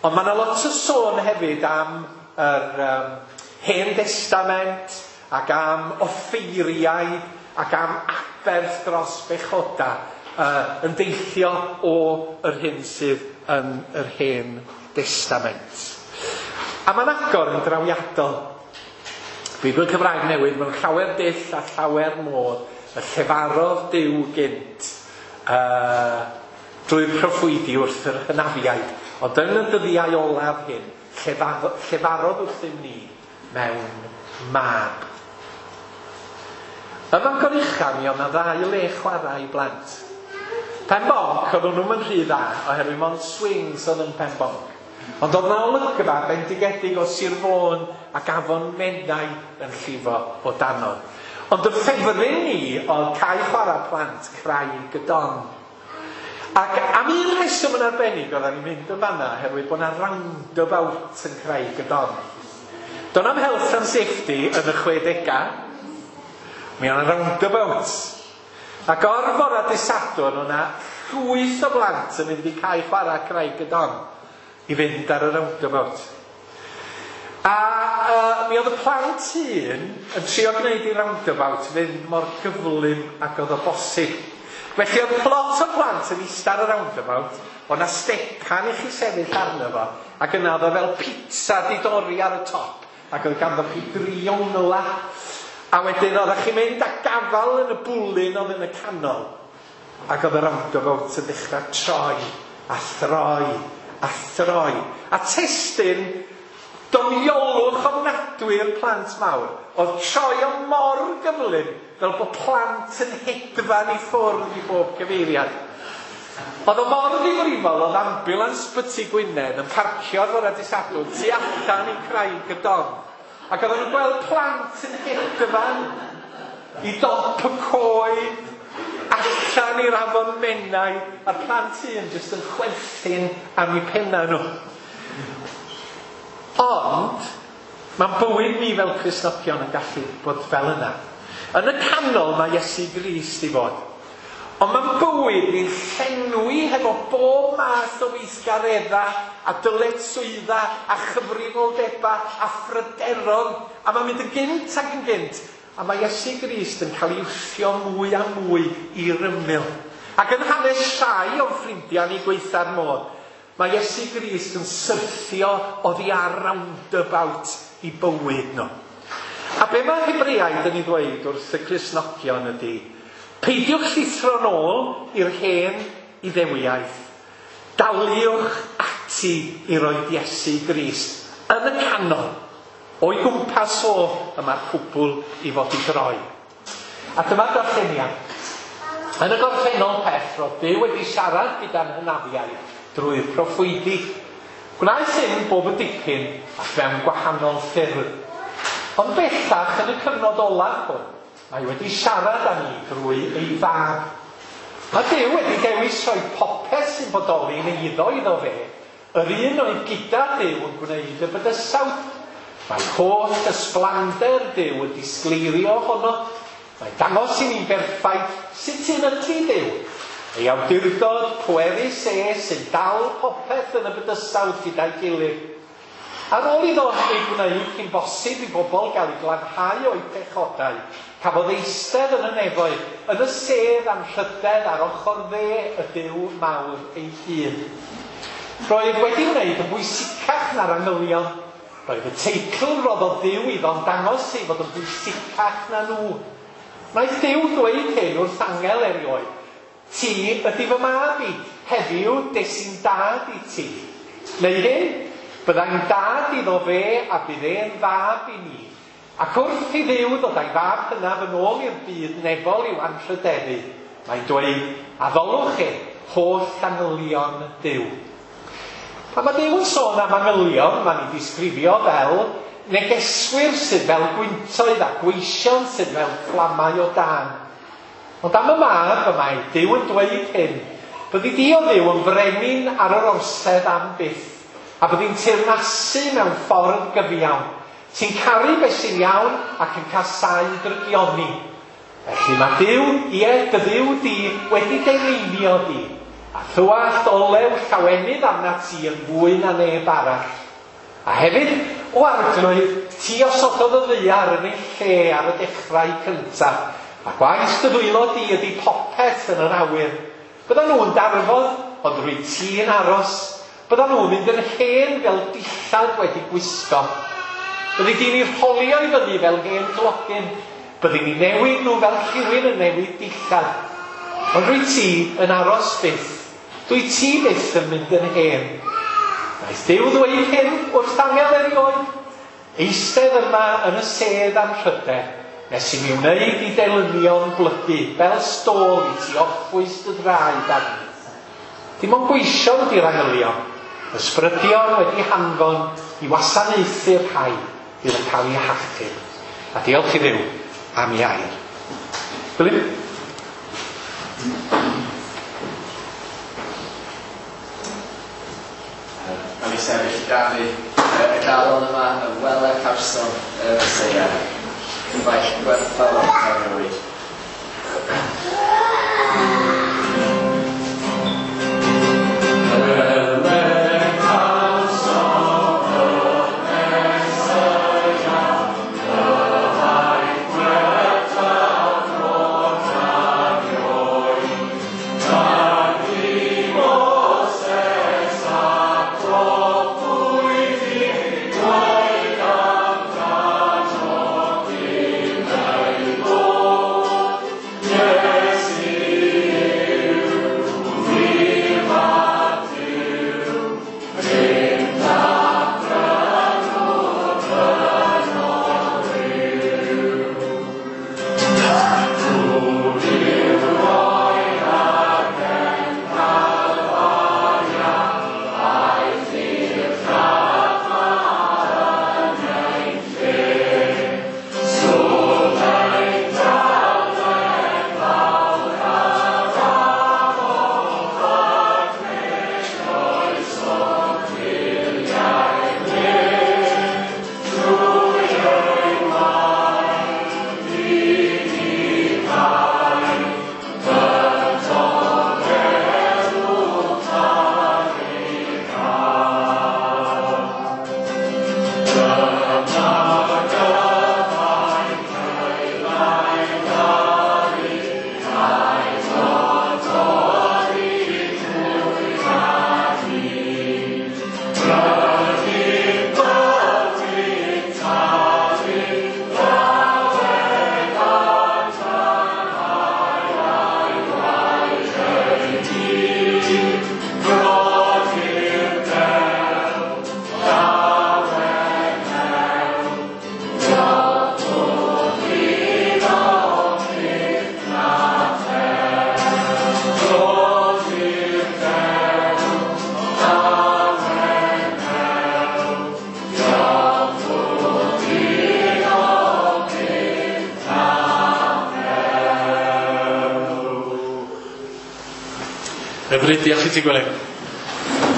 Ond mae yna lot o sôn hefyd am yr Hen Destament ac am offeiriaid ac am aberth dros bechoda yn deillio o yr hyn sydd yn yr Hen Destament. A mae'n agor yn drawiadol. Beibl Cymraeg Newydd mewn llawer dull a llawer modd y llefarodd Duw gynt drwy'r proffwydi wrth yr hynafiaid. Ond yn y dyddiau olaf hyn, llefarodd wrthym ni mewn mab. Ym Mangor Ucha mi oedd 'na ddau le chwarae i blant. Pen Bonc, oedden nhw'n rhy dda, oherwydd mond swings oedd yn Pen Bonc. Ond oedd 'na olygfa bendigedig o Sir Fôn ac afon Menai yn llifo o danodd. Ond y ffefryn ni oedd cae chwarae plant Craig y Don. Ac am un rheswm yn arbennig oedden ni'n mynd yn fanna, oherwydd bod 'na roundabout yn Craig y Don. Do'n am health and safety yn y 60au, mi oedd 'na roundabout. Ac o'r bora dydd Sadwrn, oedd 'na llwyth o blant yn mynd i cae chwarae Craig y Don i fynd ar y roundabout. A mi oedd y plant hŷn yn trio gwneud i roundabout fynd mor gyflym ag oedd o bosib. Felly oedd lot o plant yn ista ar y roundabout, oedd 'na stepan i chi sefyll arno fo, ac yna oedd o fel pizza di dorri ar y top, ac oedd ganddo chi driongla. A wedyn oeddech chi'n mynd a gafal yn y bwlyn oedd yn y canol, ac oedd y roundabout yn dechrau troi, a throi, a throi. A testun doniolwch ofnadwy i'r plant mawr, oedd troi o mor gyflym fel bod plant yn hedfan i ffwrdd i bob cyfeiriad. Oedd o mor ddifrifol, oedd ambulans Ysbyty Gwynedd yn parcio ar fore dydd Sadwrn tu allan i Craig y Don. Ac oedden nhw'n gweld plant yn hedfan i dop y coed, allan i'r afon Menai, a'r plant hŷn jyst yn chwerthin am eu penna nhw. Ond, mae'n bywyd ni fel Cristnogion yn gallu bod fel yna. Yn y canol mae Iesu Grist i fod. Ond mae'n bywyd ni'n llenwi hefo bob math o weithgaredda a dyletswydda a chyfrifoldeba a phryderon. A mae'n mynd yn gynt ac yn gynt. A mae Iesu Grist yn cael ei wthio mwy a mwy i'r ymyl. Ac yn hanes rhai o'n ffrindiau ni gweitha'r modd, mae Iesu Grist yn syrthio oddi ar roundabout i bywyd nhw. A be mae Hebreaid yn ei ddweud wrth y Cristnogion ydy, peidiwch llithro nôl i'r hen Iddewiaeth. Daliwch ati i roi Iesu Grist yn y canol. O'i gwmpas o y mae'r cwbl i fod i droi. A dyma'r darlleniad. Yn y gorffennol pell, roedd Duw wedi siarad gyda'n hynafiaid drwy'r proffwydi. Gwnaeth hyn bob yn dipyn ac mewn gwahanol ffyrdd. Ond bellach yn y cyfnod olaf hwn, mae wedi siarad â ni drwy ei fab. Mae Duw wedi dewis rhoi popeth sy'n bodoli yn eiddo iddo fe, yr un oedd gyda Duw yn gwneud y bydysawd. Mae holl ysblander Duw yn disgleirio ohono. Mae'n dangos i ni'n berffaith sut un ydy Duw. Ei awdurdod pwerus e sy'n dal popeth yn y bydysawd gyda'i gilydd. Ar ôl iddo ei gwneud hi'n bosib i bobl gael eu glanhau o'u pechodau, cafodd eistedd yn y nefoedd, yn y sedd anrhydedd ar ochr dde y Duw mawr ei hun. Roedd wedi wneud yn bwysicach na'r angylion. Roedd y teitl roddodd Duw iddo'n dangos ei fod yn bwysicach na nhw. Wnaeth Duw ddweud hyn wrth angel erioed: Ti ydy fy mab i, heddiw des i'n dad i ti. Neu hyn, byddai'n dad iddo fe a bydd e'n fab i mi. Ac wrth i Dduw ddod â'i fab hynaf yn ôl i'r byd nefol i'w anrhydeddu, mae'n dweud, addolwch e, holl angylion Duw. Pan mae Duw yn sôn am angylion, mae'n ei disgrifio fel negeswyr sydd fel gwyntoedd a gweision sydd fel fflamau o dân. Ond am y mab, y mae Duw yn dweud hyn, byddi di o Dduw yn frenin ar yr orsedd am byth, a byddi'n teyrnasu mewn ffordd gyfiawn. Ti'n caru beth sy'n iawn ac yn casáu drygioni. Felly mae Duw, ie, dy Dduw di, wedi dengeinio di, a thywallt olew llawenydd arnat ti yn fwy na neb arall. A hefyd, o Arglwydd, ti osododd y ddaear yn ei lle ar y dechrau cyntaf, a gwaith dy ddwylo di ydy popeth yn yr awyr. Byddan nhw'n darfod, ond rwyt ti'n aros. Byddan nhw'n mynd yn hen fel dillad wedi gwisgo. Byddi di'n eu rholio i fyny fel hen glogyn. Byddi ni'n newid nhw fel rhywun yn newid dillad. Ond rwyt ti yn aros byth. Dwyt ti byth yn mynd yn hen. Wnaeth Duw ddweud hyn wrth angel erioed: Eistedd yma yn y sedd anrhydedd, nes i mi wneud i delynion blygu fel stôl i ti orffwys dy draed arni. Dim ond gweision ydi'r angylion, ysbrydion wedi hanfon i wasanaethu'r rhai fydd yn cael eu hachub. A diolch i Dduw am ei air. Gwilym? Nawn ni sefyll i ganu y galon yma, y wele cawsom y Meseia. Cyfaill gwerthfawr erioed. Hyfryd, diolch i ti Gwilym.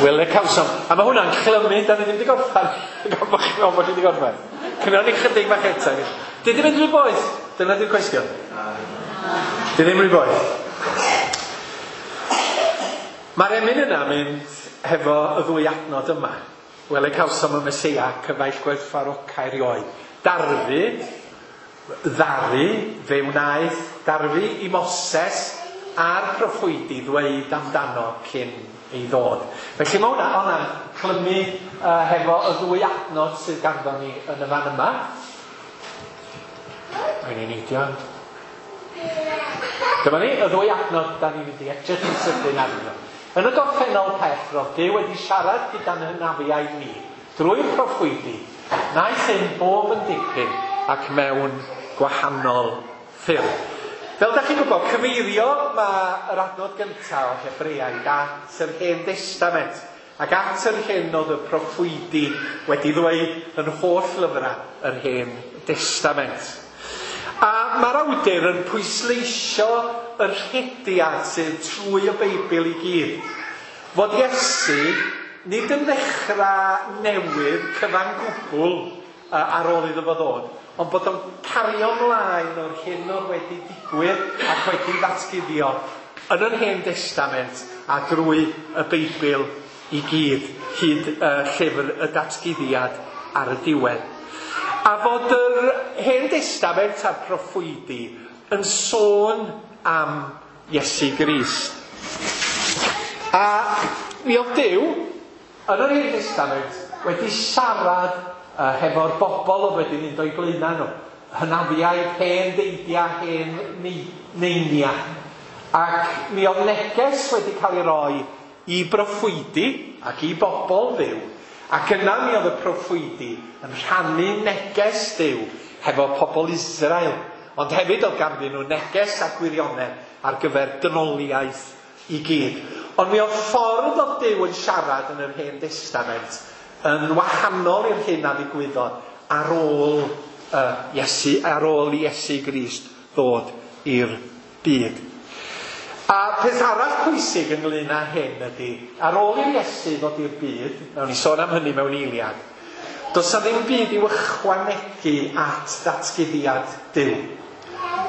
Wele cawsom. A mae hwnna'n clymu, da ni ddim wedi gorffan. Bod chi'n meddwl bod ni wedi gorffan. Cynnal ni chydig bach eto. Di ddim yn rhy boeth? Dyna di'r cwestiwn. Di ddim rhy boeth. Mae'r emyn yna mynd hefo y ddwy adnod yma. Wele cawsom y Meseia, cyfaill gwerthfawrocau erioed. Darfu, ddaru, fe wnaeth darfu i Moses a'r proffwydi ddweud amdano cyn ei ddod. Felly mae hwnna, hwnna'n clymu hefo y ddwy adnod sydd ganddo ni yn y fan yma. Mae'n ei neidio. Dyma ni, y ddwy adnod da ni'n mynd i edrych yn sydyn arnyn nhw. Yn y gorffennol pell, roedd Duw wedi siarad gyda'n hynafiaid ni drwy'r proffwydi, wnaeth hyn bob yn dipyn ac mewn gwahanol ffyrdd. Fel da chi'n gwybod, cyfeirio mae yr adnod gyntaf o Hebreaid at yr Hen Destament ac at yr hyn oedd y proffwydi wedi ddweud yn holl lyfrau yr Hen Destament. A mae'r awdur yn pwysleisio yr rhediad sydd trwy y Beibl i gyd. Fod Iesu nid yn ddechrau newydd cyfan gwbl ar ôl iddo fo ddod, ond bod o'n cario ymlaen o'r hyn oedd wedi digwydd ac wedi ddatguddio yn yr Hen Destament a drwy y Beibl i gyd, hyd llyfr y datguddiad ar y diwedd. A fod yr Hen Destament a'r proffwydi yn sôn am Iesu Grist. A mi oedd Duw yn yr Hen Destament wedi siarad hefo'r bobl oedd wedi mynd o'i blaenau nhw. Hynafiaid, hen ddeidia, hen neinia. Ac mi oedd neges wedi cael ei roi i broffwydi ac i bobl Dduw. Ac yna mi oedd y proffwydi yn rhannu neges Duw hefo pobl Israel. Ond hefyd oedd ganddyn nhw neges a gwirionedd ar gyfer dynoliaeth i gyd. Ond mi oedd ffordd oedd Duw yn siarad yn yr Hen Destament yn wahanol i'r hyn a ddigwyddodd ar ôl Iesu, ar ôl i Iesu Grist ddod i'r byd. A peth arall pwysig ynglyn â hyn ydy, ar ôl i'r Iesu ddod i'r byd, nawn ni sôn am hynny mewn eiliad, does na ddim byd i'w ychwanegu at ddatguddiad Duw.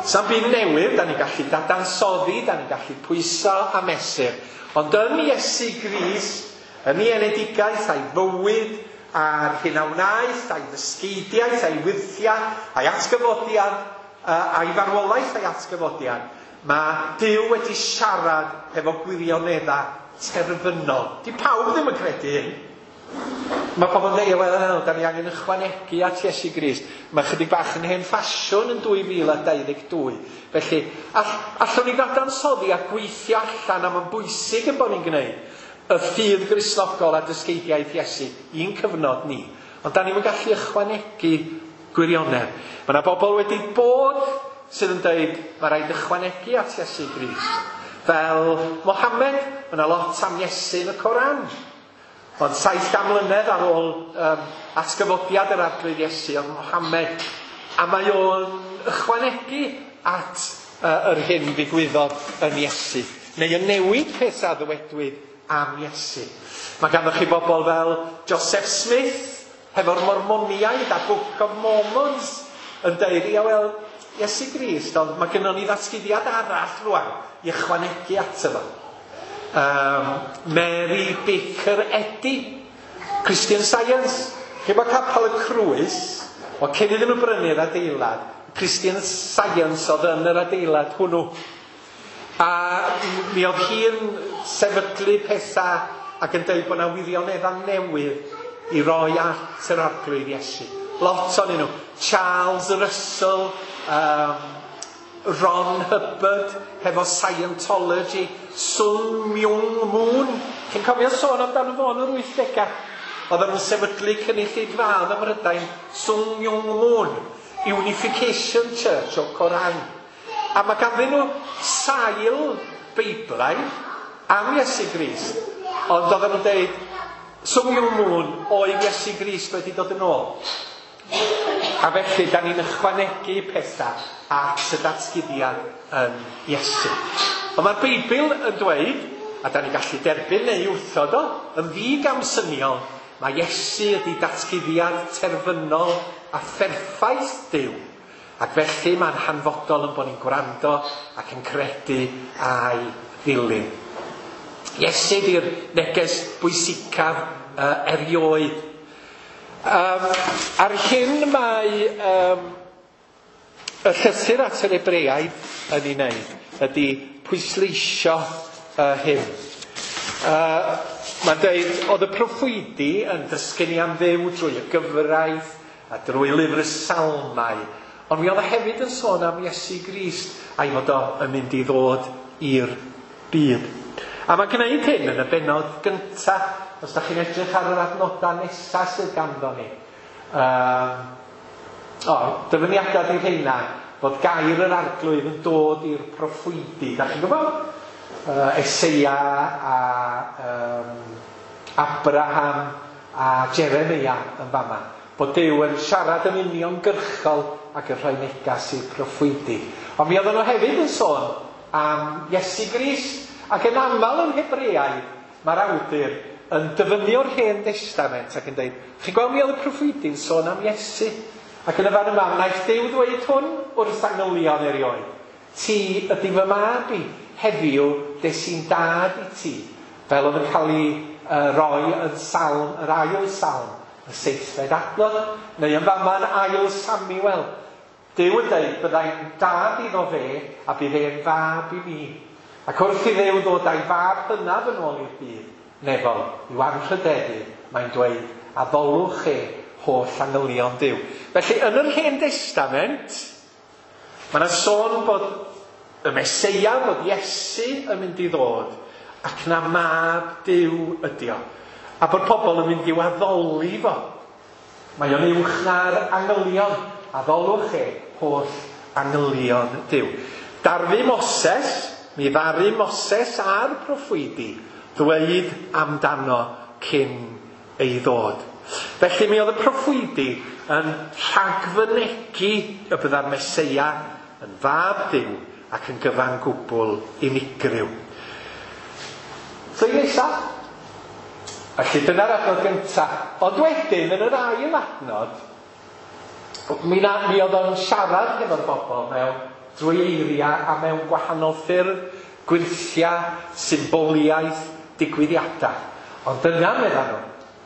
Sa'm byd newydd, da ni'n gallu dadansoddi, da ni'n gallu pwyso a mesur, ond yn Iesu Grist, yn ei enedigaeth a'i fywyd, a'r hyn a wnaeth, a'i ddysgeidiaeth, a'i wyrthiau, a'i atgyfodiad, a'i farwolaeth a'i atgyfodiad, mae Duw wedi siarad hefo gwirioneddau terfynol. Di pawb ddim yn credu hyn. Mae pobl yn dweud, wel, da ni angen ychwanegu at Iesu Grist. Mae chydig bach yn hen ffasiwn yn 2022. Felly, allwn ni ddadansoddi a gweithio allan am yn bwysig yn bod ni'n gwneud y ffydd Gristnogol a dysgeidiaeth Iesu i'n cyfnod ni. Ond da ni'n gallu ychwanegu gwirionedd. Mae yna bobl wedi bod sydd yn dweud mae rhaid ychwanegu at Iesu Grist. Fel Mohammed, mae yna lot am Iesu yn y Coran. Ond 700 mlynedd ar ôl atgyfodiad yr Arglwydd Iesu oedd Mohammed. A mae o'n ychwanegu at yr hyn ddigwyddodd yn Iesu. Neu yn newid pethau ddywedwyd am Iesu. Mae ganddo chi bobl fel Joseph Smith, hefo'r Mormoniaid a Book of Mormons, yn deud, ia wel, Iesu Grist, ond mae gynnon ni ddatguddiad arall rwan i ychwanegu ato fo. Mary Baker Eddy, Christian Science. Lle mae Capel y Crwys, o cyn iddyn nhw brynu'r adeilad, Christian Science oedd yn yr adeilad hwnnw. A mi oedd hi'n sefydlu pethau ac yn dweud bod yna wirioneddau newydd i roi at yr Arglwydd Iesu. Lot ohonyn nhw. Charles Russell, Ron Hubbard hefo Scientology, Sun Myung Moon. Chi'n cofio sôn amdano fo yn yr 80au? Oedden nhw'n sefydlu cynulleidfaoedd ym Mhrydain, Sun Myung Moon, Unification Church o Coran. A mae ganddyn nhw sail Beiblaidd am Iesu Grist, ond oedden nhw'n dweud Sun Myung Moon oedd Iesu Grist wedi dod yn ôl. A felly, da ni'n ychwanegu pethau at y datguddiad yn Iesu. Ond mae'r Beibl yn dweud a da ni'n gallu derbyn neu wrthod o, yn ddigamsyniol, mae Iesu ydi datguddiad terfynol a pherffaith Duw. Ac felly mae'n hanfodol yn bod ni'n gwrando ac yn credu a'i ddilyn. Iesu ydi'r neges bwysicaf erioed. Ar hyn mae y llythyr at yr Hebreaid yn ei wneud ydy pwysleisio hyn. Mae'n dweud, oedd y proffwydi yn dysgu ni am Dduw drwy y gyfraith a drwy lyfr y Salmau, ond mi oedd o hefyd yn sôn am Iesu Grist a'i fod o yn mynd i ddod i'r byd. A mae'n gwneud hyn yn y bennod gyntaf, os da chi'n edrych ar yr adnodau nesaf sydd ganddo ni. Dyfyniadau di rheina, bod gair yr Arglwydd yn dod i'r proffwydi. Da chi'n gwybod? Eseia a Abraham a Jeremia yn fama. Bod Duw yn siarad yn uniongyrchol ac yn rhoi negas i'r proffwydi. Ond mi oedden nhw hefyd yn sôn am Iesu Grist, ac yn aml yn Hebreaidd mae'r awdur yn dyfynnu'r Hen Testament ac yn dweud, chi'n gweld mi oedd y proffwydi'n sôn am Iesu, ac yn y fan yma wnaeth Duw ddweud hwn wrth angylion erioed. Ti ydy fy mab i, heddiw des i'n dad i ti, fel oedd yn cael ei roi yn salm, yr ail salm, y seithfed adnod, neu yn fama'n ail Samuel. Duw yn dweud byddai'n dad iddo fe a bydd e'n fab i mi. Ac wrth i Dduw ddod â'i fab hynaf yn ôl i'r byd, nefol, i'w anrhydeddu, mae'n dweud, addolwch e holl angylion Duw. Felly, yn yr Hen Testament, mae yna sôn bod y Meseia, bod Iesu yn mynd i ddod, ac na mab Duw ydi o. A bod pobl yn mynd i'w addoli fo. Mae o'n uwch na'r angylion. Addolwch e holl angylion Duw. Darfu Moses, mi ddaru Moses a'r proffwydi ddweud amdano cyn ei ddod. Felly mi oedd y proffwydi yn rhagfynegi y bydda'r Meseia yn fab Duw ac yn gyfan gwbl unigryw. So i nesaf. Felly dyna'r adnod gyntaf. Ond wedyn yn yr ail adnod, mi oedd o'n siarad hefo'r bobl mewn drwy eiriau a mewn gwahanol ffyrdd, gwyrthiau, symboliaeth, digwyddiadau. Ond dyna meddan nhw.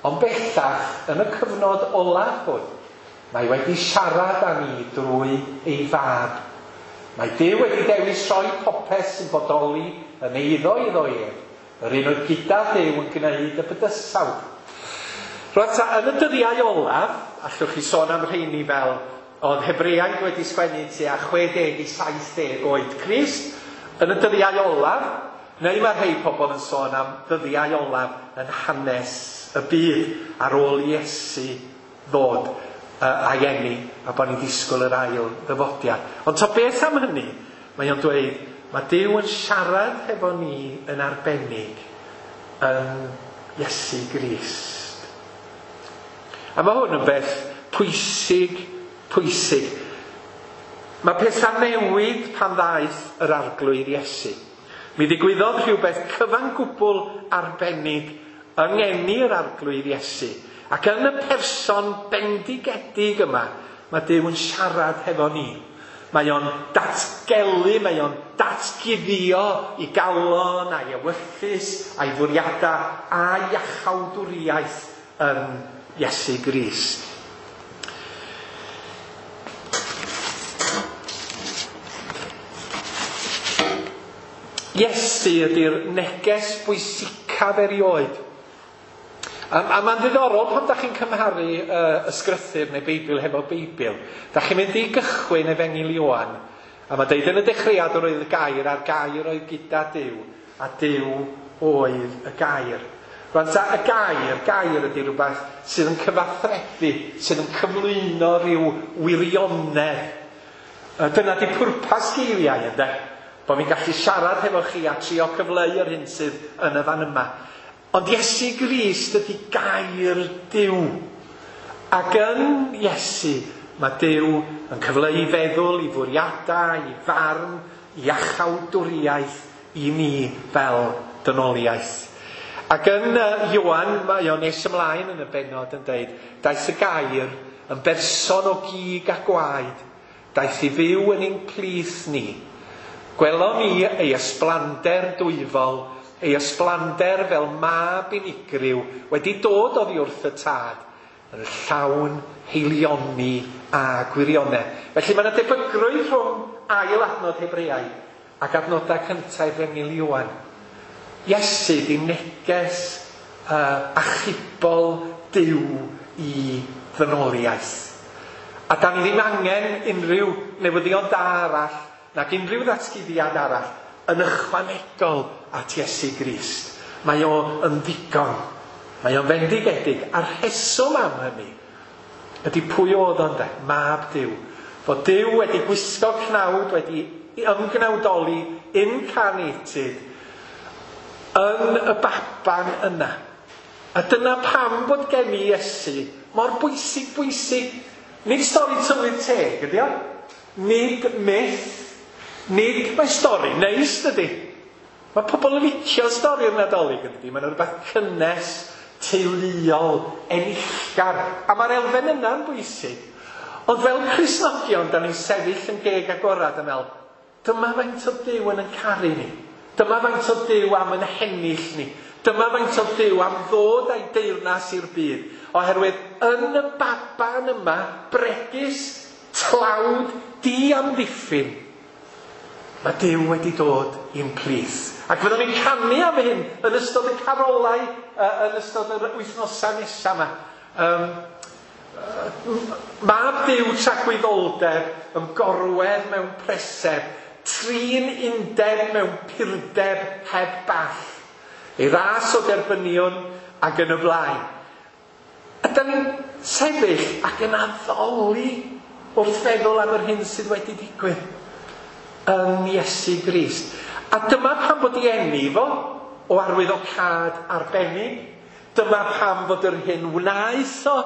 Ond bellach, yn y cyfnod olaf hwn, mae wedi siarad â ni drwy ei fab. Mae Duw wedi dewis rhoi popeth sy'n bodoli yn eiddo iddo ef, yr un oedd gyda Duw yn gwneud y bydysawd. Rwan ta, yn y dyddiau olaf, allwch chi sôn am rheini fel oedd Hebreaid wedi sgwennu tua 60 i 70 oed Crist, yn y dyddiau olaf, neu mae rhai pobl yn sôn am ddyddiau olaf yn hanes y byd ar ôl Iesu ddod a'i eni, a bod ni'n disgwyl yr ail ddyfodiad. Ond ta beth am hynny, mae o'n dweud, mae Duw yn siarad hefo ni yn arbennig yn Iesu Grist. A mae hwn yn beth pwysig, pwysig. Mae pethau newid pan ddaeth yr Arglwydd Iesu. Mi ddigwyddodd rhywbeth cyfan gwbl arbennig yng ngeni yr Arglwydd Iesu. Ac yn y person bendigedig yma, mae Duw yn siarad hefo ni. Mae o'n datgelu, mae o'n datguddio i galon a'i ewyllys, a'i fwriadau, a'i iachawdwriaeth yn Iesu Grist. Iesu ydy'r neges bwysicaf erioed. A mae'n ddiddorol pan da chi'n cymharu ysgrythur neu Beibl hefo Beibl. Da chi'n mynd i gychwyn Efengyl Ioan, a mae'n deud yn y dechreuad yr oedd y gair, a'r gair oedd gyda Duw, a Duw oedd y gair. Rwan ta, y gair ydy rhywbeth sydd yn cyfathrebu, sydd yn cyflwyno rhyw wirionedd. Dyna di pwrpas geiriau, ynde? Bo fi'n gallu siarad hefo chi a trio cyfleu yr hyn sydd yn y fan yma. Ond Iesu Grist ydy gair Duw. Ac yn Iesu mae Duw yn cyfleu i feddwl, i fwriadau, i farn, i iachawdwriaeth i ni fel dynoliaeth. Ac yn Ioan, mae o nes ymlaen yn y bennod yn deud, daeth y gair yn berson o gig a gwaed, daeth i fyw yn ein plith ni. Gwelon ni ei ysblander dwyfol, ei ysblander fel mab unigryw wedi dod oddi wrth y tad, yn llawn heilioni a gwirionedd. Felly mae yna debygrwydd rhwng ail adnod Hebreaidd ac adnodau cyntaf Efengyl Ioan. Iesu di neges achubol Duw i ddynoliaeth. A da ni ddim angen unrhyw newyddion da arall nac unrhyw ddatguddiad arall yn ychwanegol at Iesu Grist. Mae o yn ddigon. Mae o'n fendigedig. A'r rheswm am hynny ydy pwy oedd o'n de? Mab Duw. Fod Duw wedi gwisgo cnawd, wedi ymgnawdoli, incarnated, yn y baban yna. A dyna pam bod gen i Iesu mor bwysig bwysig. Nid stori tylwyth teg ydy o. Nid myth. Nid mae stori neis dydy. Mae pobl yn licio stori'r Nadolig yn dydy. Mae'n rhywbeth cynnes, teuluol, enillgar. A mae'r elfen yna'n bwysig. Ond fel Cristnogion, da ni'n sefyll yn geg agorad yn meddwl, dyma faint o Duw yn ein caru ni. Dyma faint o Duw am yn hennill ni. Dyma faint o Duw am ddod a'i deyrnas i'r byd. Oherwydd yn y baban yma, bregus, tlawd, diamddiffyn, mae Duw wedi dod i'n plith. Ac fyddwn ni'n canu am hyn yn ystod y carolau, yn ystod yr wythnosau nesaf yma. Mab Duw tragwyddoldeb yn gorwedd mewn preseb, trin undeb mewn purdeb heb ball. Ei ras o derbynion ac yn y blaen. A da ni'n sefyll ac yn addoli wrth feddwl am yr hyn sydd wedi digwydd yn Iesu Grist. A dyma pam bod ei eni fo o arwyddocâd arbennig. Dyma pam fod yr hyn wnaeth o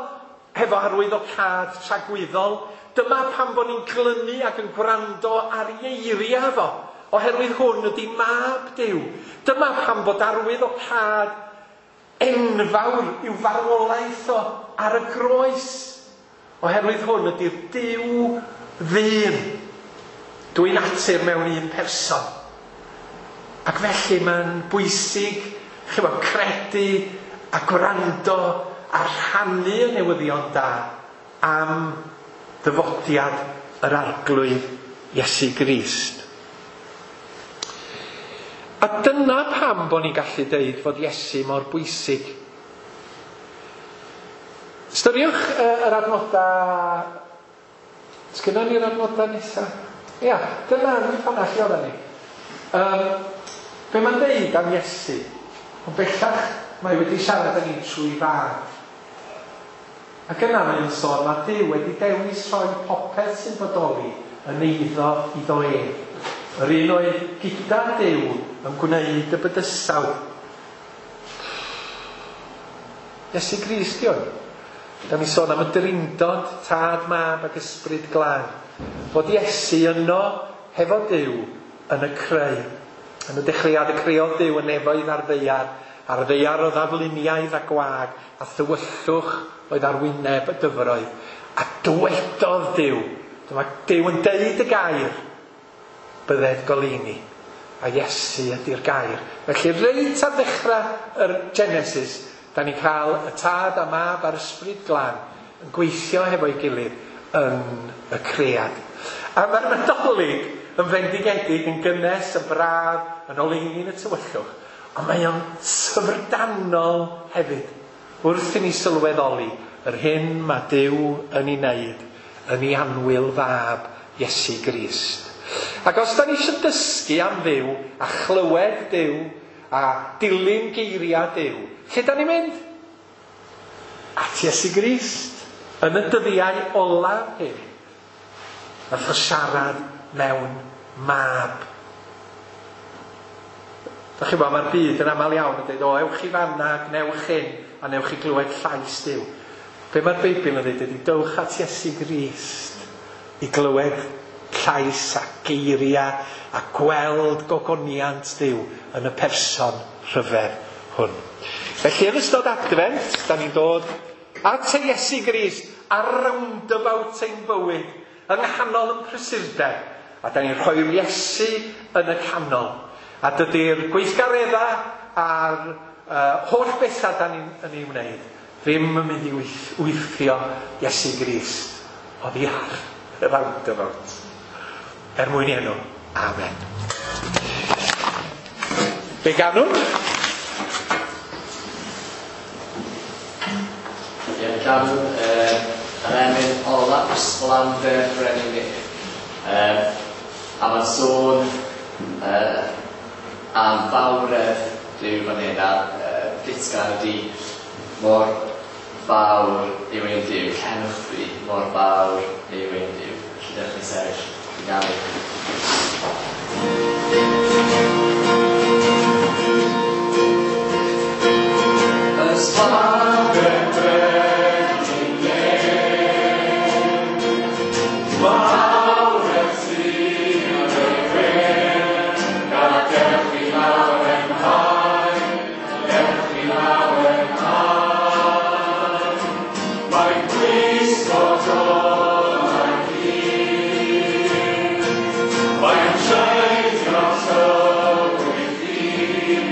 hefo arwyddocâd tragwyddol. Dyma pam bod ni'n glynu ac yn gwrando ar ei eiriau fo, oherwydd hwn ydy mab Duw. Dyma pam bod arwyddocâd enfawr i'w farwolaeth o ar y groes, oherwydd hwn ydy'r Duw ddyn. Dwy natur mewn un person. Ac felly mae'n bwysig, ch'mod, credu a gwrando a rhannu y newyddion da am ddyfodiad yr Arglwydd Iesu Grist. A dyna pam bod ni'n gallu deud fod Iesu mor bwysig. Ystyriwch yr adnodau. Sgynnon ni'r adnodau nesaf? Ia, dyna ni fanna lle oedden ni. Be mae'n deud am Iesu? Ond bellach mae wedi siarad â ni trwy fab. Ac yna mae'n sôn, mae Duw wedi dewis rhoi popeth sy'n bodoli yn eiddo iddo ef. Yr un oedd gyda Duw yn gwneud y bydysawd. Iesu Grist yw. Da ni sôn am y drindod, Tad, Mab ac Ysbryd Glân. Fod Iesu yno hefo Duw yn y creu. Yn y dechreuad y creodd Duw y nefoedd a'r ddaear, a'r ddaear oedd afluniaidd a gwag, a thywyllwch oedd ar wyneb y dyfroedd. A dywedodd Duw, dyma Duw yn deud y gair, bydded goleuni. A Iesu ydy'r gair. Felly reit ar ddechrau yr Genesis, da ni'n cael y Tad a Mab a'r Ysbryd Glân yn gweithio hefo'i gilydd yn y cread. A mae'r Nadolig yn fendigedig, yn gynnes, yn braf, yn oleuni yn y tywyllwch. Ond mae o'n syfrdanol hefyd, wrth i ni sylweddoli yr hyn mae Duw yn ei wneud yn ei annwyl fab Iesu Grist. Ac os da ni eisiau dysgu am Dduw a chlywed Duw a dilyn geiriau Duw, lle da ni'n mynd? At Iesu Grist, yn y dyddiau olaf hyn. Nath o siarad mewn mab. Da chi'n gwybod, mae'r byd yn aml iawn yn dweud, o, ewch i fanna, gwnewch hyn, a newch chi glywed llais Duw. Be mae'r Beibl yn dweud ydy, dowch at Iesu Grist i glywed llais a geiriau a gweld gogoniant Duw yn y person rhyfedd hwn. Felly yn ystod Adfent, da ni'n dod at y Iesu Grist ar roundabout ein bywyd, yng nghanol yn prysurdeb, a da ni'n rhoi'r Iesu yn y canol. A dydy'r gweithgareddau a'r holl bethau da ni'n yn ei wneud ddim yn mynd i wthio Iesu Grist oddi ar y roundabout. Er mwyn i enw. Amen. Be ganwn? Ie, ganwn yr emyn olaf, Ysblander Brenin Nef. A mae'n sôn am fawredd Duw fan hyn, a ditgan ydi mor fawr yw ein Duw, cenwch fi, mor fawr yw ein Duw. Felly dewch ni sefyll i ganu. Ysblander Brenin Nef, mawredd sydd yn ei grym, gadewch i lawenhau, dewch i lawenhau. Mae'n gwisgo dolau hir, mae'n treiddio tywydd hir,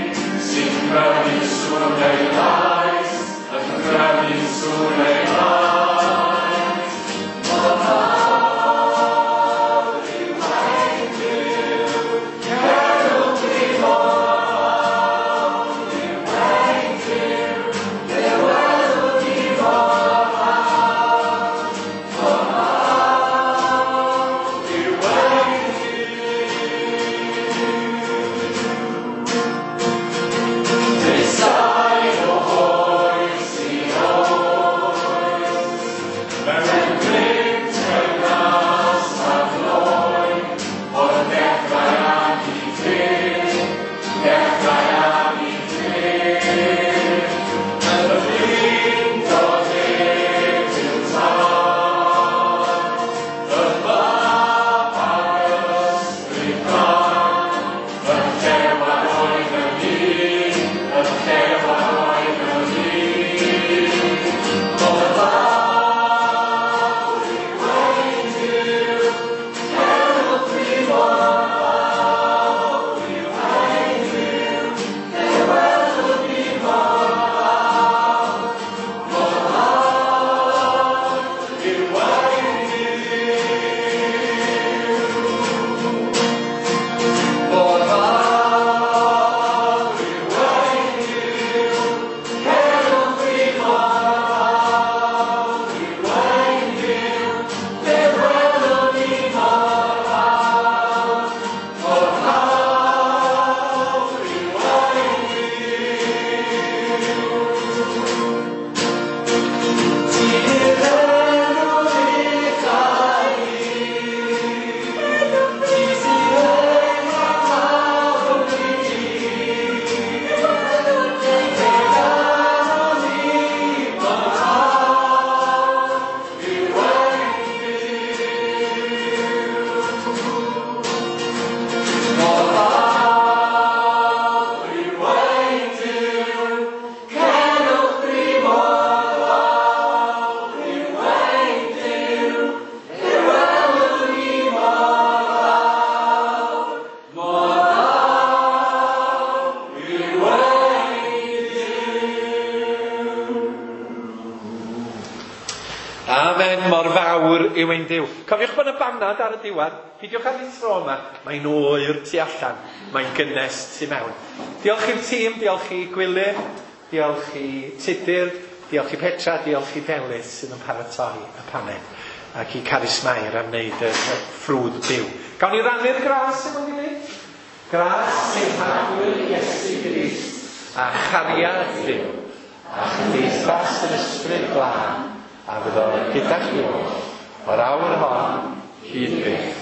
sy'n prynu sŵn ei lais, yn prynu sŵn ei lais. Mor fawr yw ein Duw, cerwch chi mor fawr yw ein Duw, fe welwn ni mor fawr, mor fawr yw ein Duw. Deisau o oes i oes, mewn gwynt glas a gloi, o'r dechrau am i fynd, dechrau am i fynd. Yn y ffrind ef yw Tad, y Mab a'r Ysbryd Glân, y llewar oedd yn un, y llewar oedd yn un. Mor fawr yw ein Duw, cerwch chi mor fawr yw ein Duw, fe welwn ni mor fawr, mor fawr yw ein Duw. Mor fawr yw ein Duw, cerwch chi mor fawr yw ein Duw, fe welwn ni mor fawr, mor fawr yw ein Duw. Ti yw'r enw uchaf i, ti sydd ein mawr i ni. Fe ganwn ni mor fawr yw ein Duw. Mor fawr yw ein Duw, cenwch chi mor fawr yw ein Duw, fe welwn ni mor fawr, mor fawr yw ein Duw. Amen, mor fawr yw ein Duw. Cofiwch bod y banad ar y diwedd. Pidiwch â tro yma. Mae'n oer tu allan. Mae'n gynnes tu mewn. Diolch i'r tîm, diolch i Gwilym, diolch i Tudur, diolch i Petra, diolch i Delyth sydd yn paratoi y paned. Ac i Carys Mair am wneud y ffrwd byw. Gawn ni rannu'r gras efo'n gilydd? Gras ein Harglwydd Iesu Grist a chariad Duw a chymdeithas yr Ysbryd Glân a fyddo gyda chi oll o'r awr hon hyd byth.